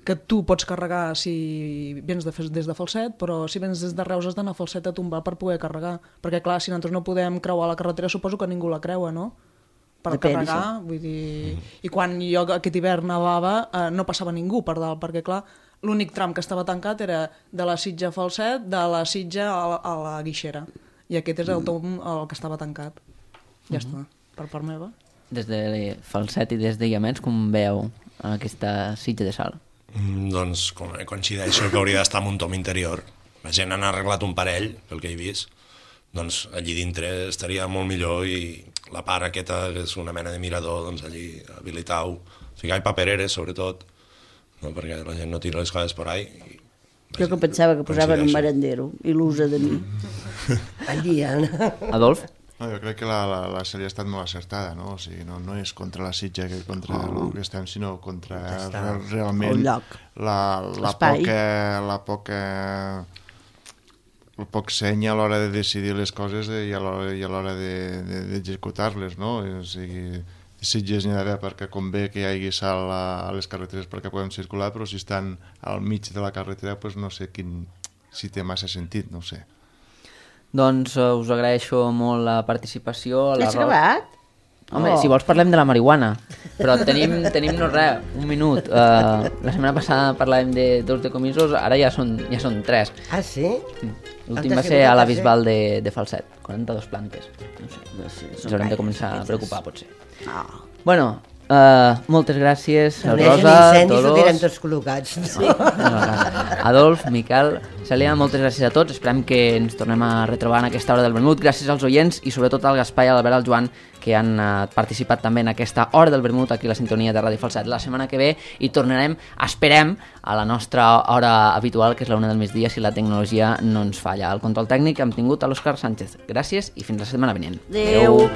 que tu pots carregar si vens des de Falset, però si vens des de Reus has d'anar a Falset a tombar per poder carregar, perquè clar, si nosaltres no podem creuar la carretera suposo que ningú la creua, no? Per carregar, vull dir... I quan jo aquest hivern nevava no passava ningú per dalt, perquè clar, l'únic tram que estava tancat era de la Sitja a Falset, de la Sitja a la Guixera, i aquest és el tom el que estava tancat. Ja està, per part meva. Des de Falset i des de Llamets, com veu aquesta Sitja de Sal? Doncs coincideixo que hauria d'estar en un tom interior. La gent han arreglat un parell, pel que he vist, doncs allí dintre estaria molt millor, i la part aquesta, que és una mena de mirador, doncs allí habilitar-ho, ficar papereres sobretot, no? Perquè la gent no tira les coses per ahí. Jo que pensava que posaven un merendero, il·lusa de mi. Allí, Adolf? No, jo crec que la sèrie ha estat molt acertada, no? O sigui, no és contra la Sitja que contra el que estem, sinó contra realment el poc seny a l'hora de decidir les coses i a l'hora d'executar-les, no? O sigui, Sitges n'hi ha d'haver perquè convé que hi hagi sal a les carreteres perquè podem circular, però si estan al mig de la carretera, doncs no sé si té massa sentit, no ho sé. Doncs us agraeixo molt la participació. Has acabat? Home, si vols parlem de la marihuana, però tenim no res, un minut. La setmana passada parlàvem de 2 decomisos, ara ja són 3. Ah, sí? L'últim va ser a la Bisbal de Falset, 42 plantes. No sé, ens haurem de començar a preocupar, potser. Bueno, moltes gràcies, Rosa, Dolors... Ho tots col·locats. Sí. Adolf, Miquel, Cèlia, moltes gràcies a tots. Esperem que ens tornem a retrobar en aquesta hora del vermut. Gràcies als oients i sobretot al Gaspar i a l'Albert, al Joan, que han participat també en aquesta hora del vermut aquí a la sintonia de Ràdio Falset. La setmana que ve hi tornarem, esperem, a la nostra hora habitual, que és la 1 del migdia, si la tecnologia no ens falla. Al control tècnic hem tingut a l'Òscar Sánchez. Gràcies i fins la setmana vinent. Adéu.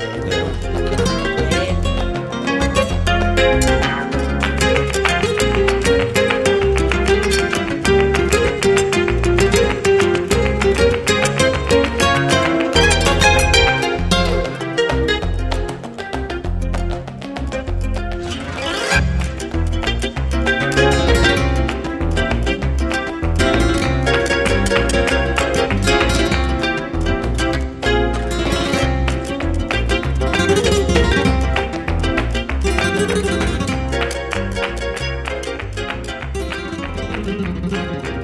Thank you.